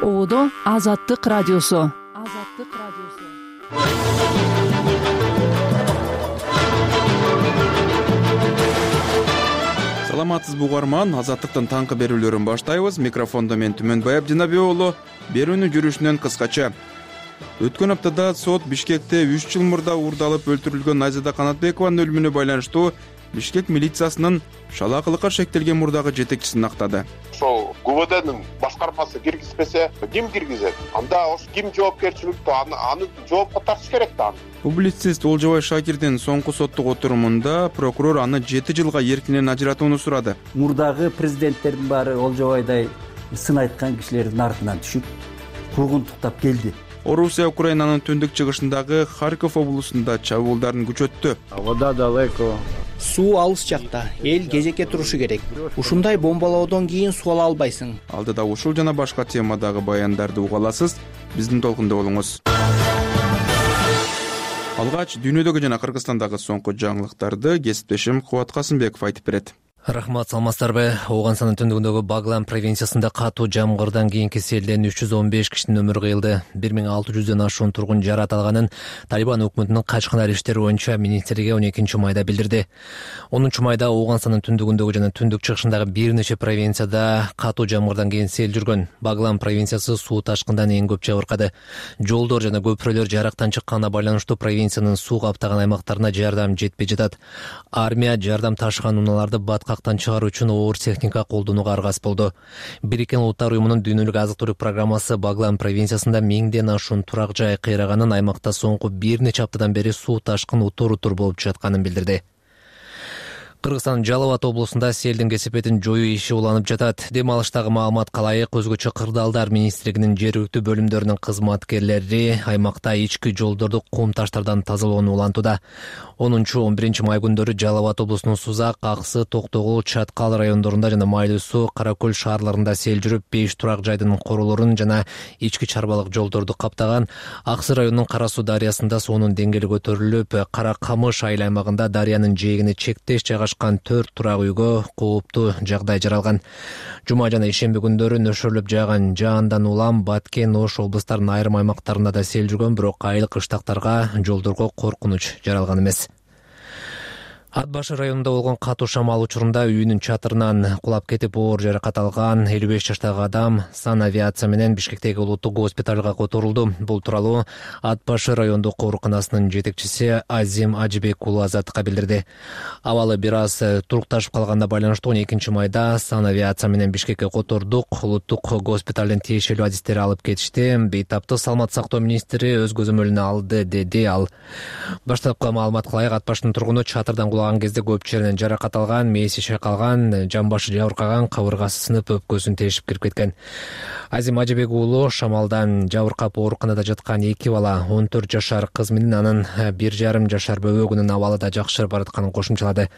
Оодо Азаттык радиосу. Саламатсызбы угарман, Азаттыктын таңкы берүүлөрүн баштайбыз. Микрофондо мен Түмөнбай Абдинабий уулу. Берүүнү жүрүшүнөн кыскача. Өткөн аптада сот Бишкекте 3 жыл мурда уурдалып өлтүрүлгөн Айзада Канатбекованын өлүмүнө байланыштуу Бишкек милициясынын шалаакылыкка шектелген мурдагы жетекчисин актады. Ошол ГУВДнын башкармасы киргизбесе, ким киргизет? Анда ким жоопкерчиликтүү? Аны жоопко тартыш керек да. Публицист Олжобай Шакирдин соңку соттук отурумунда прокурор аны 7 жылга эркинен ажыратууну сурады. Мурдагы президенттердин баары Олжобайдай сын айткан кишилердин артынан түшүп, куугунтуктап келди. Орусия Украинанын түндүк чыгышындагы Харьков облусунда чабуулдарын күчөттү. Вода далеко. Суу алыс жакта, эл кезекке турушу керек. Ушундай бомбалоодон кийин суу ала албайсың. Алдыда ушул жана башка темадагы баяндарды уга аласыз. Биздин толкунда болуңуз. Алгач дүйнөдөгү жана Кыргызстандагы соңку жаңылыктарды кесиптешим Кубат Касымбеков айтып берет. Рахмат, саламатсыздарбы. Ооганстандын түндүгүндөгү Баглан провинциясында катуу жамгырдан кийинки селден 315 кишинин өмүрү кыйылды. 1600дөн ашуун тургун жарат алганын Талибан өкмөтүнүн качкындар иштери боюнча министрлиги 12-майда билдирди. 10-майда Ооганстандын түндүгүндөгү жана түндүк чыгышындагы бир нече провинцияда катуу жамгырдан кийин сел жүргөн. Баглан провинциясы суу ташкындан эң көп жабыркады. Жолдор жана көпүрөлөр жарактан чыкканына байланыштуу провинциянын суу каптаган аймактарына жардам жетпей жатат. Армия жардам ташыган унааларды батка чыгаруу үчүн оор техника колдонууга аргасыз болду. Бириккен Улуттар уюмунун дүйнөлүк азык-түлүк программасы Баглан провинциясында 1000ден ашуун турак жай кыйраганын, аймакта соңку бир нече аптадан бери суу ташкын утур-утур болуп жатканын билдирди. Кыргызстандын Жалал Абад облусунда селдин кесепетин жоюу иши уланып жатат. Дем алыштагы маалыматка ылайык, өзгөчө Кырдаалдар министрлигинин жергиликтүү бөлүмдөрүнүн кызматкерлери аймакта ички жолдорду кум таштардан тазалоону улантууда. 10-11 май күндөрү Жалал Абад облусунун Сузак, Аксы, Токтогул, Чаткал райондорунда жана Майлуу Суу, Каракөл шаарларында сел жүрүп, 5 турак жайдын корулорун жана ички чарбалык жолдорду каптаган. Аксы районунун Кара Суу дарыясында суунун деңгээли көтөрүлүп, Кара Камыш айыл аймагында дарыянын жээгине чектеш жайгашкан 4 турак үйгө кооптуу жагдай жаралган. Жума жана ишемби күндөрү нөшөрлөп жааган жаандан улам Баткен, Ош облустарынын айрым аймактарында да сел жүргөн, бирок айыл кыштактарга, жолдорго коркунуч жаралган эмес. Ат башы районунда болгон катуу шамал учурунда үйүнүн чатырынан кулап кетип оор жаракат алган 55 жаштагы адам санавиация менен Бишкектеги улуттук госпиталга которулду. Бул тууралуу Ат башы райондук ооруканасынын жетекчиси Азим Ажибек уулу Азаттыкка билдирди. Абалы бир аз турукташып калганына байланыштуу 12-майда санавиация менен Бишкекке котордук. Улуттук госпиталдын тиешелүү адистери алып кетишти. Бейтаптык саламат сактоо министри өз көзөмөлүнө алды, деди ал. Баштапкы маалыматка ылайык, Ат башынын тургуну чатырдан кезде көп жеринен жаракат алган, мээси шайкалган, жамбашы жабыркаган, кабыргасы сынып, өпкөсүн тешип кирип кеткен. Азим Ажибек уулу шамалдан жабыркап ооруканада жаткан 2 бала, 14 жашар кыз менен анын 1,5 жашар бөбөгүнүн абалы да жакшырып баратканын кошумчалады.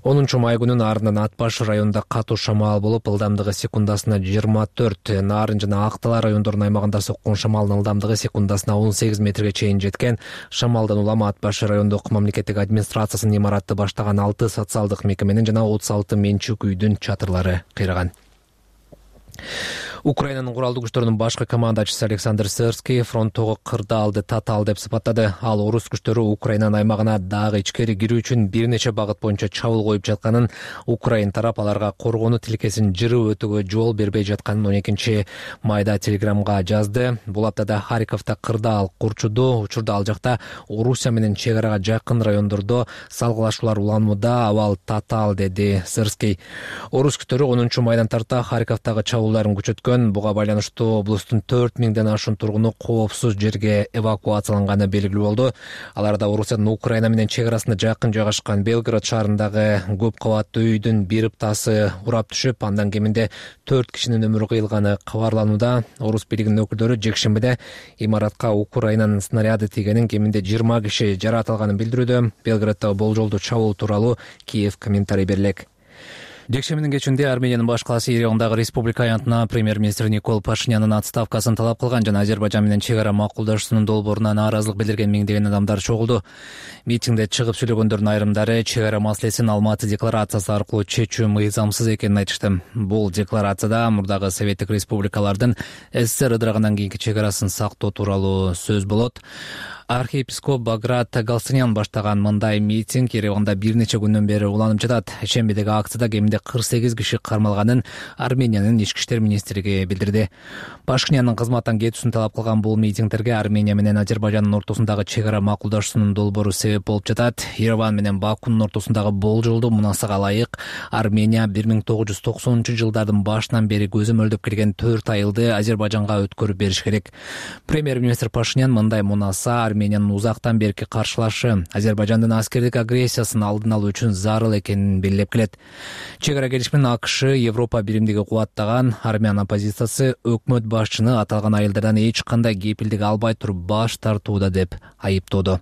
10-май күнүн ардынан Ат башы районунда катуу шамал болуп, ылдамдыгы секундасына 24, Нарын жана Актала райондорунун аймагында соккон шамалдын ылдамдыгы секундасына 18 метрге чейин жеткен. Шамалдан улам Ат башы райондук мамлекеттик администрациясынын имаратты баштаган 6 социалдык мекеменин жана 36 менчик үйдүн чатырлары кыйраган. Украинанын куралдуу күчтөрүнүн башкы командачысы Александр Сырский фронттогу кырдаалды татаал деп сыпаттады. Ал орус күчтөрү Украинанын аймагына дагы ичкери кирүү үчүн бир нече багыт боюнча чабуул коюп жатканын, Украин тарап аларга коргонуу тилкесин жырып өтүүгө жол бербей жатканын 12-майда телеграмга жазды. Бул аптада Харьковдо кырдаал курчуду. Учурда ал жакта Орусия менен чек арага жакын райондордо салгылашуулар уланууда. Абал татаал, деди Сырский. Орус күчтөрү 10-майдан тарта Харьковдогу чабуулдарын күчөткөн. Буга байланыштуу облустун 4000ден ашуун тургуну коопсуз жерге эвакуацияланганы белгилүү болду. Аларда Орусиянын Украина менен чек арасында жакын жайгашкан Белгород шаарындагы көп кабаттуу үйдүн бир ыптасы урап түшүп, андан кеминде 4 кишинин өмүрү кыйылганы кабарланууда. Орус бийлигинин өкүлдөрү жекшембиде имаратка Украинанын снаряды тийгенин, кеминде 20 киши жаракат алганын билдирүүдө. Белгороддо болжолдуу чабуул тууралуу Киев комментарий берелек. Жекшембинин кечинде Армениянын баш калаасы Еревандагы республика аянтына премьер-министр Никол Пашинянын отставкасын талап кылган жана Азербайжан менен чек ара макулдашуунун долбооруна нааразылык билдирген миңдеген адамдар чогулду. Митингде чыгып сөйлөгөндөрдүн айрымдары чек ара маселесин Алматы декларациясы аркылуу чечүү мыйзамсыз экенин айтышты. Бул декларацияда мурдагы советтик республикалардын СССР ыдырагандан кийинки чек арасын сактоо тууралуу сөз болот. Архиепископ Баграт Галстанян баштаган мындай митинг Ереванда бир нече күндөн бери уланып жатат. Шембидеги акцияда кеминде 48 киши кармалганын Армениянын ички иштер министрлиги билдирди. Пашинянын кызматтан кетүүсүн талап кылган бул митингтерге Армения менен Азербайжандын ортосундагы чек ара макулдашуунун долбоору себеп болуп жатат. Ереван менен Бакунун ортосундагы болжолдуу мунасага ылайык Армения 1990-жылдардын башынан бери көзөмөлдөп келген 4 айылды Азербайжанга өткөрүп бериш керек. Премьер-министр Пашинян мындай мунаса Армениянын узактан берки каршылашы Азербайжандын аскердик агрессиясын алдын алуу үчүн зарыл экенин белгилеп келет. Чек ара келишимин АКШ Европа биримдиги кубаттаган армян оппозициясы өкмөт башчыны аталган айылдардан эч кандай кепилдик албай туруп баш тартууда деп айыптоодо.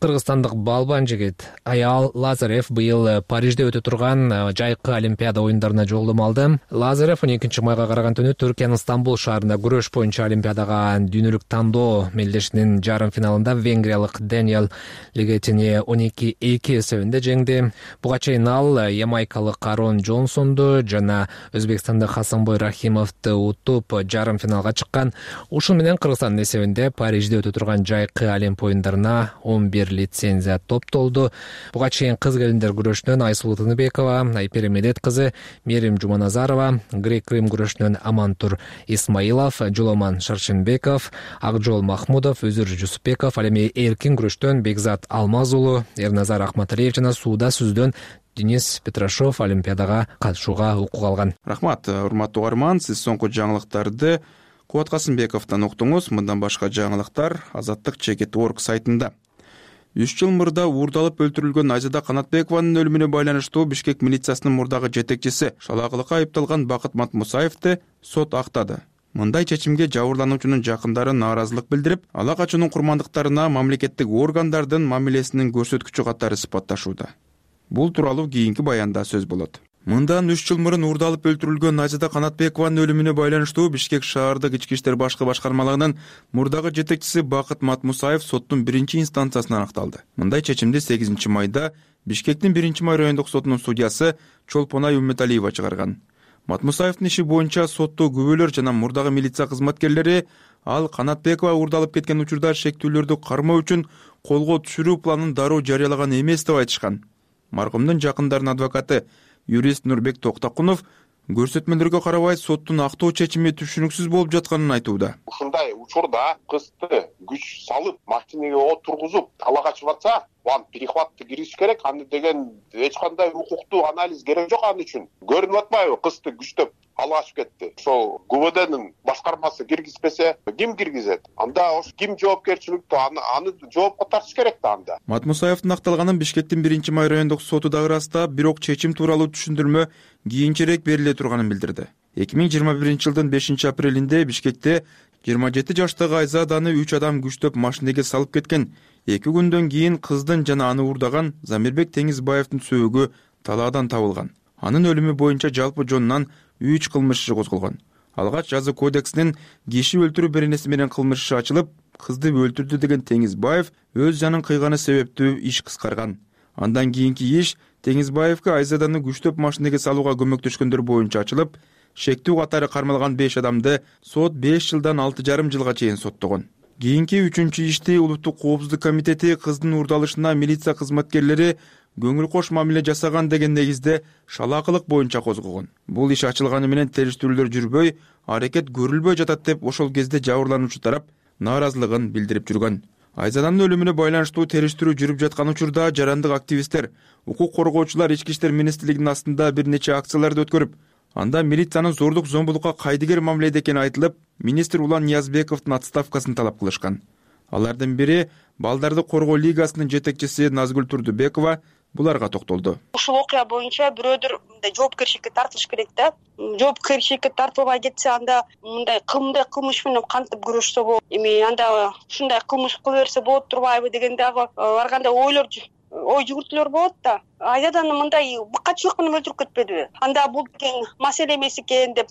Кыргызстандык балбан жигит Аял Лазарев быйыл Парижде өтө турган жайкы Олимпиада оюндарына жолдомо алды. Лазарев 12 майга караган түнү Түркиянын Стамбул шаарында күрөш боюнча Олимпиадага дүйнөлүк тандоо мелдешинин жарым финалында венгриялык Дэниел Легетини 12-2 эсебинде жеңди. Буга чейин ал ямайкалык Арон Джонсонду жана өзбекстандык Хасанбой Рахимовду утуп жарым финалга чыккан. Ушул менен Кыргызстандын эсебинде Парижде өтө турган жайкы Олимп оюндарына 11 лицензия топтолду. Буга чейин кыз келиндер күрөшүнөн Айсулуу Тыныбекова, Айпери Медет кызы Мерим Жуманазарова, грек-рим күрөшүнөн Амантур Исмаилов, Жоломан Шаршенбеков, Акжол Махмудов, Өзүр Жусупбеков, ал эми эркин күрөштөн Бекзат Алмаз уулу, Эрназар Акматалиев жана сууда сүздөн Денис Петрашов Олимпиадага катышууга укук алган. Рахмат, урматтуу угарман, сиз соңку жаңылыктарды Кубат Касымбековдон уктуңуз. Мындан башка жаңылыктар Азаттык.org сайтында. 3 жыл мурда уурдалып өлтүрүлгөн Айзада Канатбекованын өлүмүнө байланыштуу Бишкек милициясынын мурдагы жетекчиси шалаагылыкка айыпталган Бакыт Матмусаевди сот актады. Мындай чечимге жабырлануучунун жакындары нааразылык билдирип, ала качуунун курмандыктарына мамлекеттик органдардын мамилесинин көрсөткүчү катары сыпатташууда. Бул тууралуу кийинки баянда сөз болот. Мындан 3 жыл мурун уурдалып өлтүрүлгөн Айзада Канатбекованын өлүмүнө байланыштуу Бишкек шаардык ички иштер башкы башкармалыгынын мурдагы жетекчиси Бакыт Матмусаев соттун 1-инстанциясынан акталды. Мындай чечимди 8 майда Бишкектин 1-май райондук сотунун судьясы Чолпонай Умметалиева чыгарган. Матмусаевдин иши боюнча соттуу күбөлөр жана мурдагы милиция кызматкерлери ал Канатбекова уурдалып кеткен учурда шектүүлөрдү кармоо үчүн колго түшүрүү планын дароо жарыялаган эмес деп айтышкан. Маркумдун жакындарынын адвокаты юрист Нурбек Токтакунов көрсөтмөлөргө карабай соттун актоо чечими түшүнүксүз болуп жатканын айтууда. Ушундай учурда кызды күч салып, машинеге отургузуп, ала качып атса, аны перехватты кириш керек. Аны деген эч кандай укуктуу анализ керек жок аны үчүн. Көрүнүп атпайбы, кызды күчтөп ала качып кетти. Ошол ГУВДнын башкармасы киргизбесе, ким киргизет? Анда ошо ким жоопкерчиликтүү? Аны жоопко тартыш керек да анда. Матмусаевдин акталганын Бишкектин 1-май райондук соту да ырастап, бирок чечим тууралуу түшүндүрмө кийинчерээк бериле турганын билдирди. 2021-жылдын 5-апрелинде Бишкекте 27 жаштагы Айзаданы 3 адам күчтөп машинеге салып кеткен. 2 күндөн кийин кыздын жана аны уурдаган Замирбек Теңизбаевдин сөөгү талаадан табылган. Анын өлүмү боюнча жалпы жонунан 3 кылмыш иши козголгон. Алгач жаза кодексинин киши өлтүрүү беренеси менен кылмыш иши ачылып, кызды өлтүрдү деген Теңизбаев өз жанын кыйганы себептүү иш кыскарган. Андан кийинки иш Теңизбаевге Айзаданы күчтөп машинеге салууга көмөктөшкөндөр боюнча ачылып, шектүү катары кармалган 5 адамды сот 5 жылдан 6,5 жылга чейин соттогон. Кийинки 3-чү ишти Улуттук коопсуздук комитети кыздын уурдалышына милиция кызматкерлери көңүл кош мамиле жасаган деген негизде шалаакылык боюнча козгогон. Бул иш ачылганы менен териштирүүлөр жүрбөй, аракет көрүлбөй жатат деп ошол кезде жабырлануучу тарап нааразылыгын билдирип жүргөн. Айзаданын өлүмүнө байланыштуу териштирүү жүрүп жаткан учурда жарандык активисттер, укук коргоочулар ички иштер министрлигинин астында бир нече акцияларды өткөрүп, анда милициянын зордук зомбулукка кайдыгер мамиледе экени айтылып, министр Улан Ниязбековдун отставкасын талап кылышкан. Алардын бири Балдарды коргоо лигасынын жетекчиси Назгүл Турдубекова буларга токтолду. Ушул окуя боюнча бирөөдөр мындай жоопкерчиликке тартылыш керек да. Жоопкерчиликке тартылбай кетсе, анда мындай кылмыш менен кантип күрөшсө болот? Эми анда ушундай кылмыш кыла берсе болот турбайбы деген дагы ар кандай ойлор ой жүгүртүүлөр болот да. Айзаданы мындай быкачылык менен өлтүрүп кетпедиби? Анда бул тең маселе эмес экен деп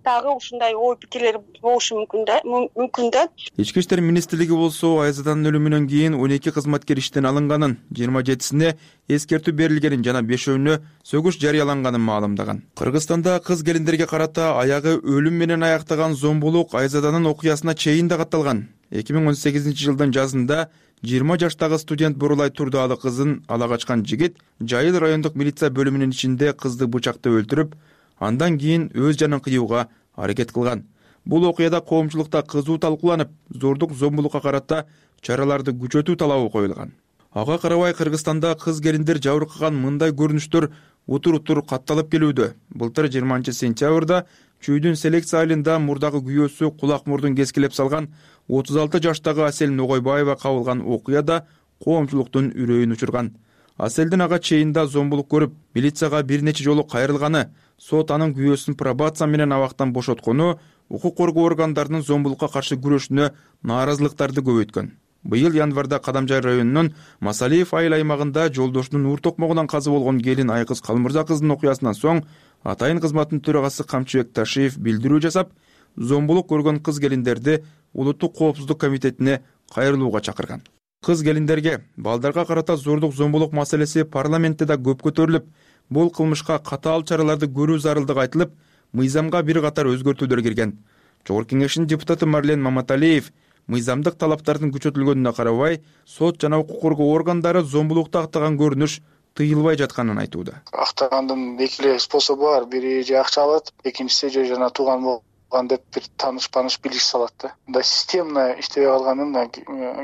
дагы ушундай ой пикирлер болушу мүмкүн да. Ички иштер министрлиги болсо Айзаданын өлүмүнөн кийин 12 кызматкер иштен алынганын, 27-сине эскертүү берилгенин жана 5-өөнө сөгүш жарыяланганын маалымдаган. Кыргызстанда кыз келиндерге карата аягы өлүм менен аяктаган зомбулук Айзаданын окуясына чейин да катталган. 2018-жылдын жазында 20 жаштагы студент Бурулай Турдалы кызын ала качкан жигит Жайыл райондук милиция бөлүмүнүн ичинде кызды бычактап өлтүрүп, андан кийин өз жанын кыюуга аракет кылган. Бул окуяда коомчулукта кызуу талкууланып, зордук зомбулукка карата чараларды күчөтүү талабы коюлган. Ага карабай Кыргызстанда кыз келиндер жабыркаган мындай көрүнүштөр утур-утур катталып келүүдө. Былтыр 20-сентябрда Чүйдүн селекция айылында мурдагы күйөөсү кулак мурдун кескилеп салган 36 жаштагы Асель Ногойбаева кабылган окуяда коомчулуктун үрөйүн учурган. Аселдин ага чейин да зомбулук көрүп, милицияга бир нече жолу кайрылганы, сот анын күйөөсүн пробация менен абактан бошоткону укук коргоо органдарынын зомбулукка каршы күрөшүнө нааразылыктарды көбөйткөн. Быйыл январда Кадамжай районунун Масалиев айыл аймагында жолдошунун уур токмогунан каза болгон келин Айкыз Калмырза кыздын окуясынан соң атайын кызматтын төрагасы Камчыбек Ташиев билдирүү жасап, зомбулук көргөн кыз келиндерди Улуттук коопсуздук комитетине кайрылууга чакырган. Кыз келиндерге балдарга карата зордук зомбулук маселеси парламентте да көп көтөрүлүп, бул кылмышка катаал чараларды көрүү зарылдыгы айтылып, мыйзамга бир катар өзгөртүүлөр кирген. Жогорку кеңештин депутаты Марлен Маматалиев мыйзамдык талаптардын күчөтүлгөнүнө карабай, сот жана укук коргоо органдары зомбулукту актаган көрүнүш тыйылбай жатканын айтууда. Актагандын эки эле способу бар. Бири же акча алат, экинчиси же жана тууган болгон деп бир тааныш билиш салат да. Мындай системно иштебей калганын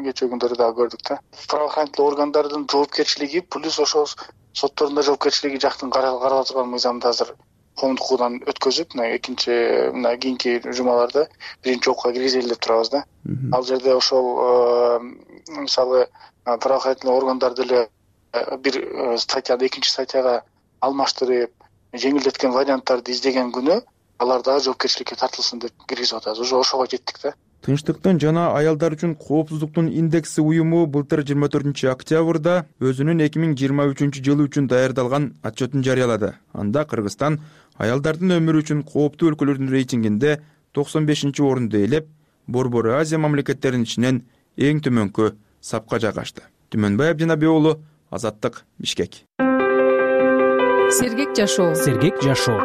кечээ күндөрү дагы көрдүк да. Правоохранительный органдардын жоопкерчилиги плюс ошол соттордун да жоопкерчилиги жактын каралган мыйзамды азыр коомдук укугдан өткөзүп, экинчи кийинки жумаларда биринчи окууга киргизели деп турабыз да. Ал жерде ошол мисалы правоохранительный органдар деле бир статьяны экинчи статьяга алмаштырып, жеңилдеткен варианттарды издеген күнү алар дагы жоопкерчиликке тартылсын деп киргизип атабыз. Уже ошого жеттик да. Тынчтыктын жана аялдар үчүн коопсуздуктун индекси уюму былтыр 24-октябрда өзүнүн 2023-жылы үчүн даярдалган отчетун жарыялады. Анда Кыргызстан аялдардын өмүрү үчүн кооптуу өлкөлөрдүн рейтингинде 95-орунду ээлеп, Борбор Азия мамлекеттеринин ичинен эң төмөнкү сапка жайгашты. Түмөнбай Абдинабек уулу, Азаттык, Бишкек. Сергек жашоо.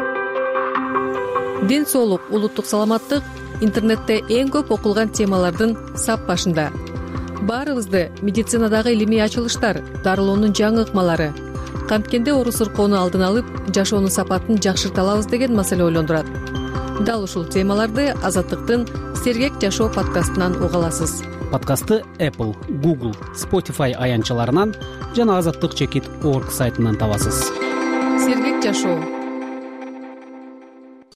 Ден соолук, улуттук саламаттык интернетте эң көп окулган темалардын сап башында. Баарыбызды медицинадагы илимий ачылыштар, дарылоонун жаңы ыкмалары, канткенде оору сыркоону алдын алып, жашоонун сапатын жакшырта алабыз деген маселе ойлондурат. Дал ушул темаларды Азаттыктын Сергек жашоо подкастынан уга аласыз. Подкастты Apple, Google, Spotify аянтчаларынан жана azattik.org сайтынан табасыз. Сергек жашоо.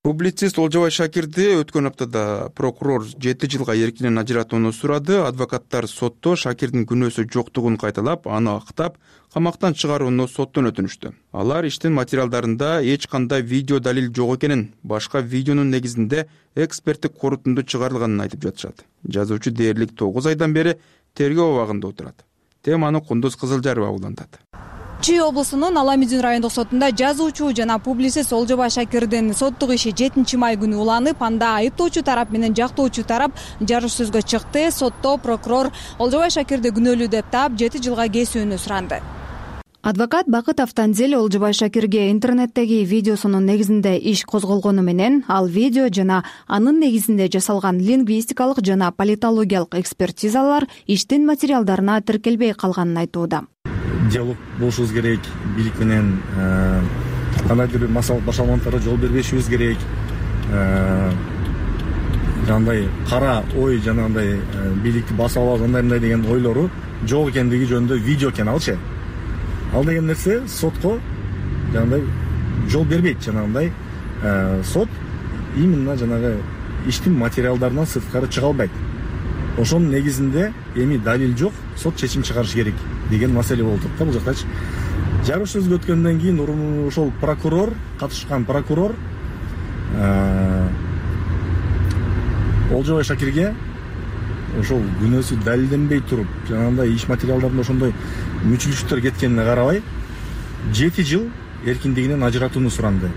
Публицист Олжобай Шакирди өткөн аптада прокурор 7 жылга эркинен ажыратууну сурады. Адвокаттар сотто Шакирдин күнөөсү жоктугун кайталап, аны актап, камактан чыгарууну соттон өтүнүштү. Алар иштин материалдарында эч кандай видео далил жок экенин, башка видеонун негизинде эксперттик корутунду чыгарылганын айтып жатышат. Жазуучу дээрлик 9 айдан бери тергөө абагында отурат. Теманы Кундуз Кызылжарова улантат. Чүй облусунун Аламүзүн райондук сотунда жазуучу жана публицист Олжобай Шакирдин соттук иши 7 май күнү уланып, анда айыптоочу тарап менен жактоочу тарап жарыш сөзгө чыкты. Сотто прокурор Олжобай Шакирди күнөөлүү деп таап 7 жылга кесүүнү суранды. Адвокат Бакыт Автанзел Олжобай Шакирге интернеттеги видеосунун негизинде иш козголгону менен, ал видео жана анын негизинде жасалган лингвистикалык жана политологиялык экспертизалар иштин материалдарына тиркелбей калганын айтууда. Диалог болушубуз керек, бийлик менен кандайдыр бир масал башалмандыктарга жол бербешибиз керек. Жандай кара ой жана андай бийликти басып алып андай деген ойлору жок экендиги жөнүндө видео экен алчы. Ал деген нерсе сотко жандай жол бербейт. Жанагындай сот именно жанагы иштин материалдарынан сырткары чыга албайт. Ошонун негизинде эми далил жок, сот чечим чыгарыш керек деген маселе болуп турат да бул жактачы. Жарыш сөзгө өткөндөн кийин ошол прокурор, катышкан прокурор Олжобай Шакирге ошол күнөөсү далилденбей туруп жанагындай иш материалдарында ошондой мүчүлүштөр кеткенине карабай 7 жыл эркиндигинен ажыратууну суранды.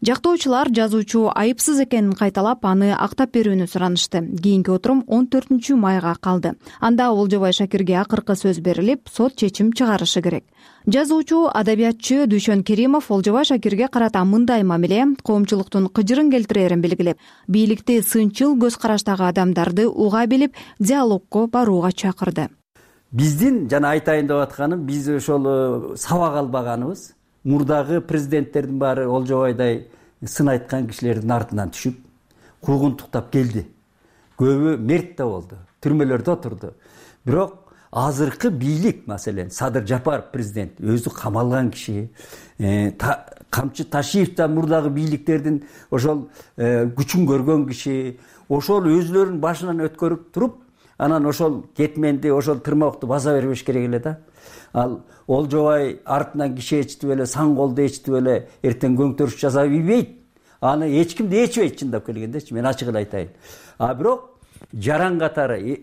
Жактоочулар жазуучу айыпсыз экенин кайталап, аны актап берүүнү суранышты. Кийинки отурум 14 майга калды. Анда Олжобай Шакирге акыркы сөз берилип, сот чечим чыгарышы керек. Жазуучу, адабиятчы Дүйшөн Керимов Олжобай Шакирге карата мындай мамиле коомчулуктун кыжырын келтирерин белгилеп, бийликти сынчыл көз караштагы адамдарды уга билип, диалогко барууга чакырды. Биздин жана айтайын деп атканым, биз ошол сабак албаганыбыз, мурдагы президенттердин баары Олжобайдай сын айткан кишилердин артынан түшүп, куугунтуктап келди. Көбү мерт да болду, түрмөлөрдө отурду. Бирок азыркы бийлик, маселен, Садыр Жапаров президент өзү камалган киши, Камчы Ташиев да мурдагы бийликтердин ошол күчүн көргөн киши, ошол өзүлөрүнүн башынан өткөрүп туруп, анан ошол кетменди, ошол тырмокту баса бербеш керек эле да. Ал Олжобай артынан киши ээрчитип эле, сан колду ээрчитип эле эртең көңтөрүш жасап ийбейт. Аны эч ким да ээрчибейт, чындап келгендечи, мен ачык эле айтайын. Бирок жаран катары,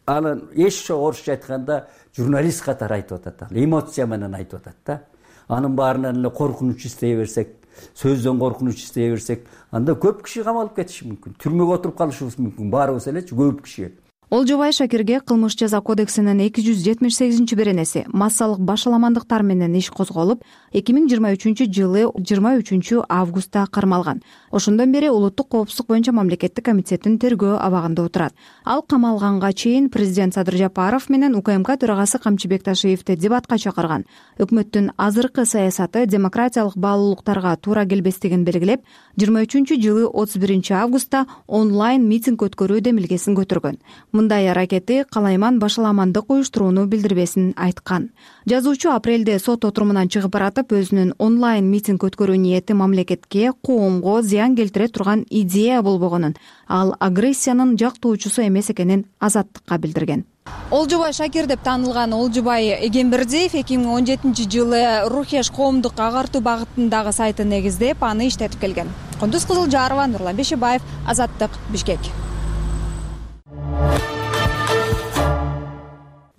аны эч орусча айтканда журналист катары айтып атат, эмоция менен айтып атат да. Анын баарынан эле коркунуч издей берсек, сөздөн коркунуч издей берсек, анда көп киши камалып кетиши мүмкүн, түрмөгө отуруп калышыбыз мүмкүн, баарыбыз элечи, көп киши. Олжобай Шакирге кылмыш жаза кодексинин 278-беренеси массалык башаламандыктар менен иш козголуп, 2023-жылы 23 кармалган. Ошондон бери улуттук коопсуздук боюнча мамлекеттик комитеттин тергөө абагында отурат. Ал камалганга чейин президент Садыр Жапаров менен УКМК төрагасы Камчыбек Ташиевди дебатка чакырган. Өкмөттүн азыркы саясаты демократиялык баалуулуктарга туура келбестигин белгилеп, 23-жылы 31 онлайн митинг өткөрүү демилгесин көтөргөн. Мындай аракети калайман башаламандык уюштурууну билдирбесин айткан. Жазуучу апрелде сот отурумунан чыгып баратып, өзүнүн онлайн митинг өткөрүү ниети мамлекетке, коомго зыян келтире турган идея болбогонун, ал агрессиянын жактоочусу эмес экенин Азаттыкка билдирген. Олжобай Шакир деп таанылган Олжобай Эгембердиев 2017-жылы Рухеш коомдук агартуу багытындагы сайтын негиздеп, аны иштетип келген. Кундуз Кызылжарова, Нурлан Бешебаев, Азаттык, Бишкек.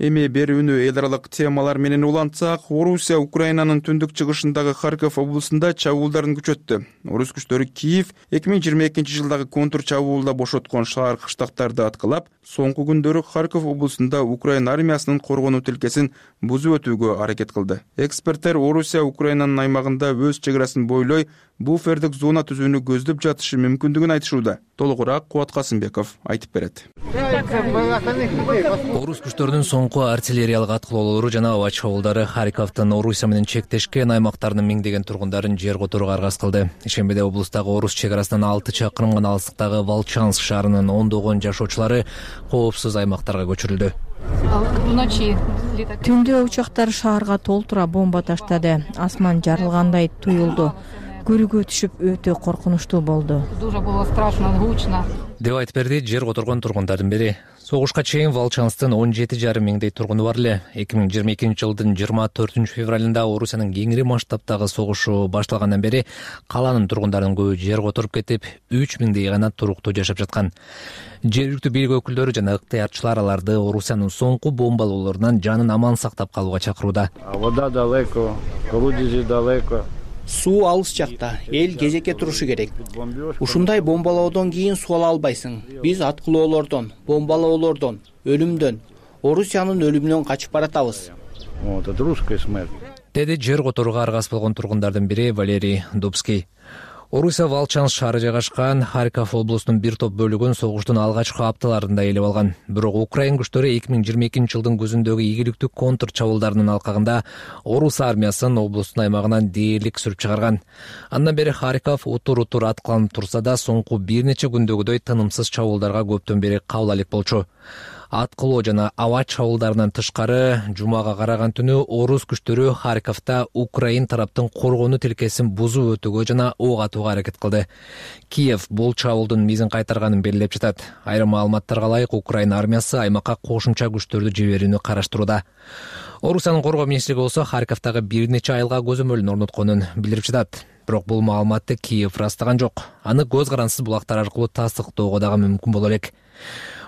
Эми берүүнү эл аралык темалар менен улантсак, Орусия Украинанын түндүк чыгышындагы Харьков облусунда чабуулдарын күчөттү. Орус күчтөрү Киев 2022-жылдагы контур чабуулда бошоткон шаар кыштактарды аткылап, соңку күндөрү Харьков облусунда Украина армиясынын коргонуу тилкесин бузуп өтүүгө аракет кылды. Эксперттер Орусия Украинанын аймагында өз чегарасын бойлой буфердик зона түзүүнү көздөп жатышы мүмкүндүгүн айтышууда. Толугураак Кубат Касымбеков айтып берет. Орус күчтөрүнүн соңку артиллериялык аткылоолору жана аба чабуулдары Харьковдун Орусия менен чектешкен аймактарынын миңдеген тургундарын жер которууга аргасыз кылды. Ишембиде облустагы орус чегарасынан 6 чакырым гана алыстыктагы Волчанск шаарынын ондогон жашоочулары коопсуз аймактарга көчүрүлдү. Түндө учактар шаарга толтура бомба таштады. Асман жарылгандай туюлду. Көрүүгө түшүп өтө коркунучтуу болду. Деп айтып берди жер которгон тургундардын бири. Согушка чейин Волчанстын 17,5 миңдей тургуну бар эле. 2022-жылдын 24 февралында Орусиянын кеңири масштабтагы согушу башталгандан бери каланын тургундарынын көбү жер которуп кетип, 3 миңдей гана туруктуу жашап жаткан. Жергиликтүү бийлик өкүлдөрү жана ыктыярчылар аларды Орусиянын соңку бомбалоолорунан жанын аман сактап калууга чакырууда. Вода далеко, колодези далеко. Суу алыс жакта, эл кезекке турушу керек. Ушундай бомбалоодон кийин суу ала албайсың. Биз аткылоолордон, бомбалоолордон, өлүмдөн, Орусиянын өлүмүнөн качып баратабыз. Вот это русская смерть. Деди жер которууга аргасыз болгон тургундардын бири Валерий Дубский. Орусия Волчанск шаары жайгашкан Харьков облусунун бир топ бөлүгүн согуштун алгачкы апталарында ээлеп алган. Бирок Украин күчтөрү 2022-жылдын күзүндөгү ийгиликтүү контр чабуулдарынын алкагында орус армиясын облустун аймагынан дээрлик сүрүп чыгарган. Андан бери Харьков утур-утур аткыланып турса да, соңку бир нече күндөгүдөй тынымсыз чабуулдарга көптөн бери кабыл алек болчу. Аткылоо жана аба чабуулдарынан тышкары жумага караган түнү орус күчтөрү Харьковдо Украин тараптын коргонуу тилкесин бузуп өтүүгө жана ок атууга аракет кылды. Киев бул чабуулдун мизин кайтарганын белгилеп жатат. Айрым маалыматтарга ылайык, Украина армиясы аймакка кошумча күчтөрдү жиберүүнү караштырууда. Орусиянын коргоо министрлиги болсо Харьковдогу бир нече айылга көзөмөлүн орнотконун билдирип жатат. Бирок бул маалыматты Киев ырастаган жок. Аны көз карансыз булактар аркылуу тастыктоого дагы мүмкүн боло элек.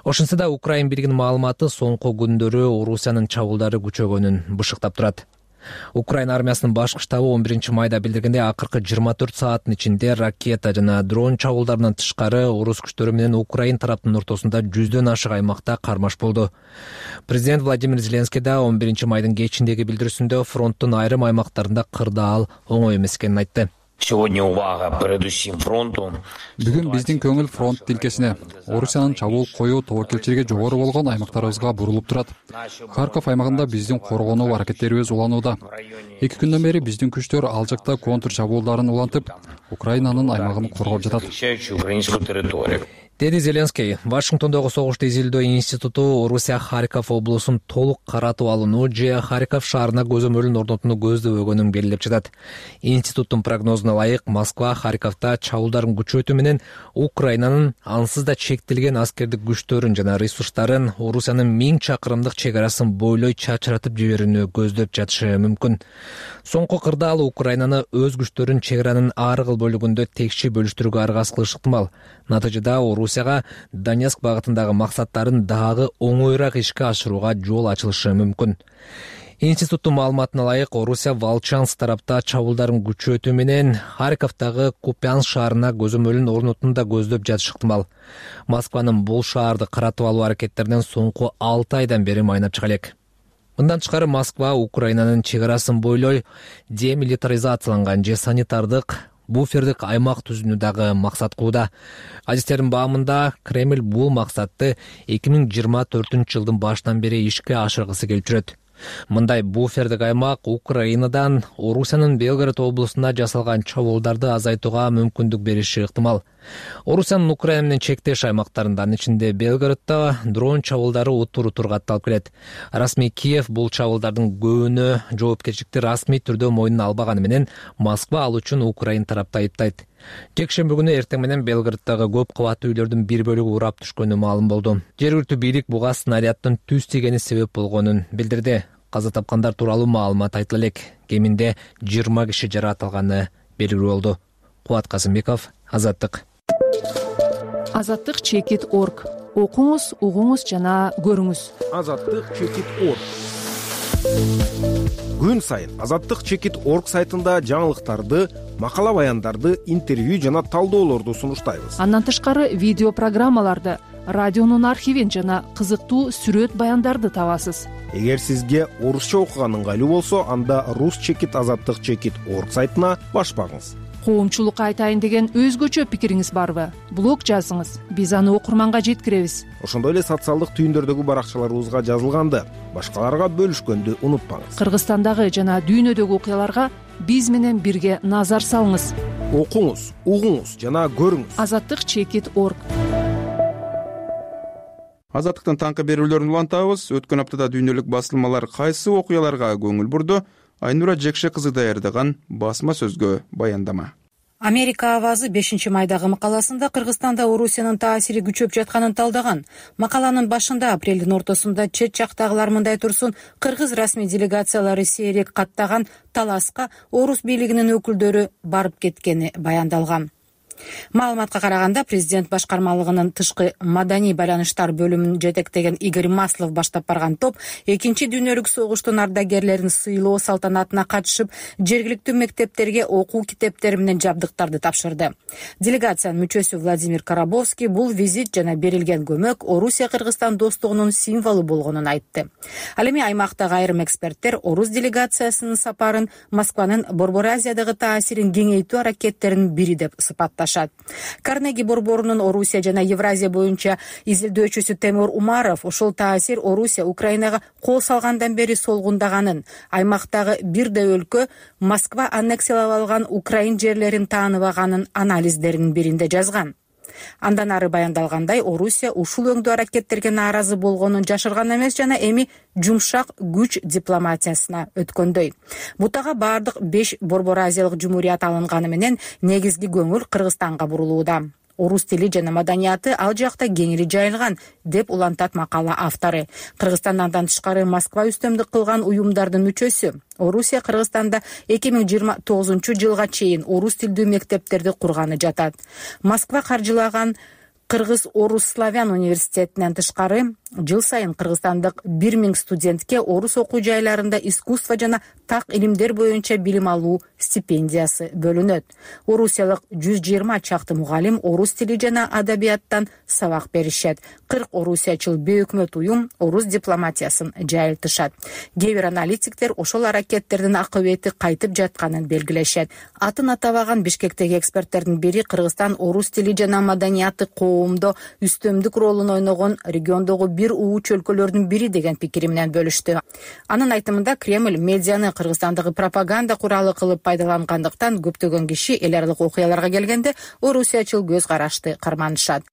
Ошентсе да Украин бийлигинин маалыматы соңку күндөрү Орусиянын чабуулдары күчөгөнүн бышыктап турат. Украин армиясынын башкы штабы 11 майда билдиргендей, акыркы 24 сааттын ичинде ракета жана дрон чабуулдарынан тышкары орус күчтөрү менен Украин тараптын ортосунда 100дөн ашык аймакта кармаш болду. Президент Владимир Зеленский да 11 майдын кечиндеги билдирүүсүндө фронттун айрым аймактарында кырдаал оңой эмес экенин айтты. Бүгүн биздин көңүл фронт тилкесине, Орусиянын чабуул коюу тобокелчилиги жогору болгон аймактарыбызга бурулуп турат. Харьков аймагында биздин коргонуу аракеттерибиз уланууда. 2 күндөн бери биздин күчтөр ал жакта контр чабуулдарын улантып, Украинанын аймагын коргоп жатат, деди Зеленский. Вашингтондогу согушту изилдөө институту Орусия Харьков облусун толук каратып алууну же Харьков шаарына көзөмөлүн орнотууну көздөбөгөнүн белгилеп жатат. Институттун прогнозуна ылайык, Москва Харьковто чабуулдарын күчөтүү менен Украинанын ансыз да чектелген аскердик күчтөрүн жана ресурстарын Орусиянын 1000 чакырымдык чек арасын бойлой чачыратып жиберүүнү көздөп жатышы мүмкүн. Соңку кырдаал Украинаны өз күчтөрүн чек аранын ар кыл бөлүгүндө текши бөлүштүрүүгө аргасыз кылышы ыктымал. Натыйжада Орусияга Донецк багытындагы максаттарын дагы оңоюраак ишке ашырууга жол ачылышы мүмкүн. Институттун маалыматына ылайык, Орусия Волчанск тарапта чабуулдарын күчөтүү менен Харьковдогу Купянск шаарына көзөмөлүн орнотууну да көздөп жатышы ыктымал. Москванын бул шаарды каратып алуу аракеттеринен соңку 6 айдан бери майнап чыга элек. Мындан тышкары Москва Украинанын чек арасын бойлой демилитаризацияланган же санитардык буфердик аймак түзүүнү дагы максат кылууда. Адистердин баамында Кремль бул максатты 2024 жылдын башынан бери ишке ашыргысы келип жүрөт. Мындай буфердик аймак Украинадан Орусиянын Белгород облусуна жасалган чабуулдарды азайтууга мүмкүндүк бериши ыктымал. Орусиянын Украина менен чектеш аймактарында, анын ичинде Белгороддо дрон чабуулдары утур катталып келет. Расмий Киев бул чабуулдардын көбүнө жоопкерчиликти расмий түрдө мойнуна албаганы менен Москва ал үчүн Украин тарапты айыптайт. Жекшемби күнү эртең менен Белгороддогу көп кабаттуу үйлөрдүн бир бөлүгү урап түшкөнү маалым болду. Жергиликтүү бийлик буга снаряддын түз тийгени себеп болгонун билдирди. Каза тапкандар тууралуу маалымат айтыла элек. Кеминде 20 киши жаракат алганы белгилүү болду. Кубат Касымбеков, Азаттык. Азаттык.org. Окуңуз, угуңуз жана көрүңүз. Азаттык.org. Күн сайын Азаттык.org сайтында жаңылыктарды, макала баяндарды, интервью жана талдоолорду сунуштайбыз. Андан тышкары видео программаларды, радионун архивин жана кызыктуу сүрөт баяндарды табасыз. Эгер сизге орусча окуган ыңгайлуу болсо, анда Rus.Azаттык.org сайтына баш багыңыз. Коомчулукка айтайын деген өзгөчө пикириңиз барбы? Блог жазыңыз, биз аны окурманга жеткиребиз. Ошондой эле социалдык түйүндөрдөгү баракчаларыбызга жазылганды, башкаларга бөлүшкөндү унутпаңыз. Кыргызстандагы жана дүйнөдөгү окуяларга биз менен бирге назар салыңыз. Окуңуз, угуңуз жана көрүңүз. Azаттык.org. Азаттыктын таңкы берүүлөрүн улантабыз. Өткөн аптада дүйнөлүк басылмалар кайсы окуяларга көңүл бурду? Айнура Жекше кызы даярдаган басма сөзгө баяндама. Америка авазы 5 майдагы макаласында Кыргызстанда Орусиянын таасири күчөп жатканын талдаган. Макаланын башында апрелдин ортосунда чет жактагылар мындай турсун, кыргыз расмий делегациялары сейрек каттаган таласка орус бийлигинин өкүлдөрү барып кеткени баяндалган. Маалыматка караганда, президент башкармалыгынын тышкы маданий байланыштар бөлүмүн жетектеген Игорь Маслов баштап барган топ 2 дүйнөлүк согуштун ардагерлерин сыйлоо салтанатына катышып, жергиликтүү мектептерге окуу китептери менен жабдыктарды тапшырды. Делегациянын мүчөсү Владимир Карабовский бул визит жана берилген көмөк Орусия-Кыргызстан достугунун символу болгонун айтты. Ал эми аймактагы айрым эксперттер орус делегациясынын сапарын Москванын Борбор Азиядагы таасирин кеңейтүү аракеттеринин бири деп сыпатташат. Карнеги борборунун Орусия жана Евразия боюнча изилдөөчүсү Темур Умаров ошол таасир Орусия Украинага кол салгандан бери солгундаганын, аймактагы бирдей өлкө Москва аннексиялап алган Украин жерлерин тааныбаганын анализдеринин биринде жазган. Андан ары баяндалгандай, Орусия ушул өңдүү аракеттерге нааразы болгонун жашырган эмес жана эми жумшак күч дипломатиясына өткөндөй. Бутага бардык 5 Борбор Азиялык жумурият алынганы менен негизги көңүл Кыргызстанга бурулууда. Орус тили жана маданияты ал жакта кеңири жайылган, деп улантат макала автору. Кыргызстандан тышкары Москва үстөмдүк кылган уюмдардын мүчөсү. Орусия Кыргызстанда 2029 жылга чейин орус тилдүү мектептерди курганы жатат. Москва каржылаган Кыргыз орус славян университетинен тышкары жыл сайын кыргызстандык 1000 студентке орус окуу жайларында искусство жана так илимдер боюнча билим алуу стипендиясы бөлүнөт. Орусиялык 120 чакты мугалим орус тили жана адабияттан сабак беришет. 40 орусиячыл бейөкмөт уюм орус дипломатиясын жайылтышат. Кээ бир аналитиктер ошол аракеттердин акыбети кайтып жатканын белгилешет. Атын атабаган Бишкектеги эксперттердин бири Кыргызстан орус тили жана маданияты коомдо үстөмдүк ролун ойногон региондогу бир ууч өлкөлөрдүн бири деген пикири менен бөлүштү. Анын айтымында Кремль медианы Кыргызстандагы пропаганда куралы кылып пайдалангандыктан көптөгөн киши эл аралык окуяларга келгенде орусиячыл көз карашты карманышат.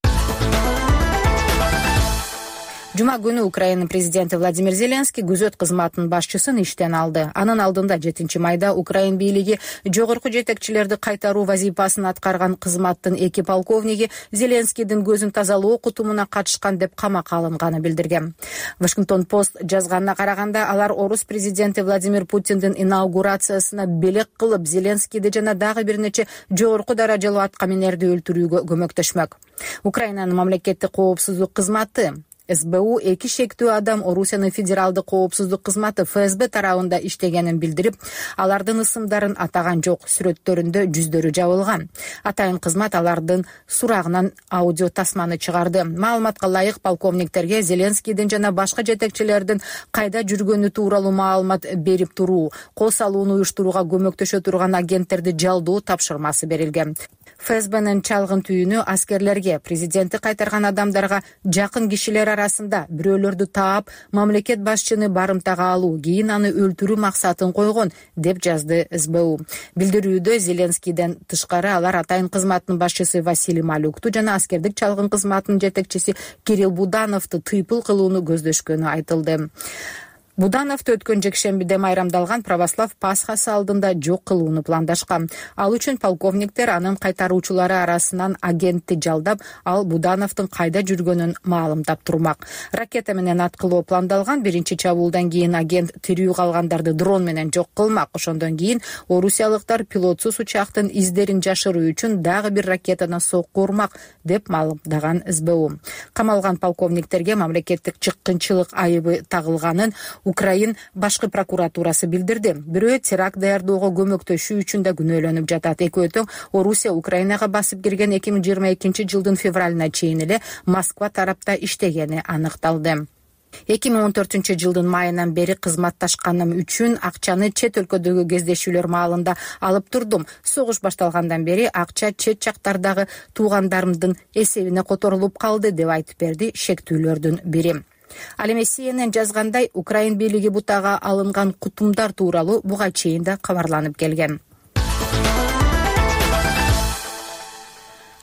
Жума күнү Украина президенти Владимир Зеленский күзөт кызматынын башчысын иштен алды. Анын алдында 7 майда Украин бийлиги жогорку жетекчилерди кайтаруу вазифасын аткарган кызматтын 2 полковниги Зеленскийдин көзүн тазалоо кутумуна катышкан деп камакка алынганы билдирген. Вашингтон Пост жазганына караганда алар орус президенти Владимир Путиндин инаугурациясына белек кылып Зеленскийди жана дагы бир нече жогорку даражалуу аткаминерди өлтүрүүгө көмөктөшмөк. Украинанын мамлекеттик коопсуздук кызматы СБУ 2 шектүү адам Орусиянын федералдык коопсуздук кызматы ФСБ тарабында иштегенин билдирип, алардын ысымдарын атаган жок, сүрөттөрүндө жүздөрү жабылган. Атайын кызмат алардын сурагынан аудио тасманы чыгарды. Маалыматка ылайык полковниктерге Зеленскийдин жана башка жетекчилердин кайда жүргөнү тууралуу маалымат берип туруу, кол салууну уюштурууга көмөктөшө турган агенттерди жалдоо тапшырмасы берилген. ФСБнын чалгын түйүнү аскерлерге, президентти кайтарган адамдарга жакын кишилер арасында бирөөлөрдү таап, мамлекет башчыны барымтага алуу, кийин аны өлтүрүү максатын койгон, деп жазды СБУ. Билдирүүдө Зеленскийден тышкары алар атайын кызматтын башчысы Василий Малюкту жана аскердик чалгын кызматынын жетекчиси Кирилл Будановду тыйпыл кылууну көздөшкөнү айтылды. Будановду өткөн жекшембиде майрамдалган православ Пасхасы алдында жок кылууну пландашкан. Ал үчүн полковниктер анын кайтаруучулары арасынан агентти жалдап, ал Будановдун кайда жүргөнүн маалымдап турмак. Ракета менен аткылоо пландалган. Биринчи чабуулдан кийин агент тирүү калгандарды дрон менен жок кылмак. Ошондон кийин орусиялыктар пилотсуз учактын издерин жашыруу үчүн дагы бир ракетадан сокку урмак, деп маалымдаган СБУ. Камалган полковниктерге мамлекеттик чыккынчылык айыбы тагылганын Украин башкы прокуратурасы билдирди. Бирөө теракт даярдоого көмөктөшүү үчүн да күнөөлөнүп жатат. Экөө тең Орусия Украинага басып кирген 2022 жылдын февралына чейин эле Москва тарапта иштегени аныкталды. 2014 жылдын майынан бери кызматташканым үчүн акчаны чет өлкөдөгү кездешүүлөр маалында алып турдум. Согуш башталгандан бери акча чет жактардагы туугандарымдын эсебине которулуп калды, деп айтып берди шектүүлөрдүн бири. Ал эми CNN жазгандай, Украин бийлиги бутага алынган кутумдар тууралуу буга чейин да кабарланып келген.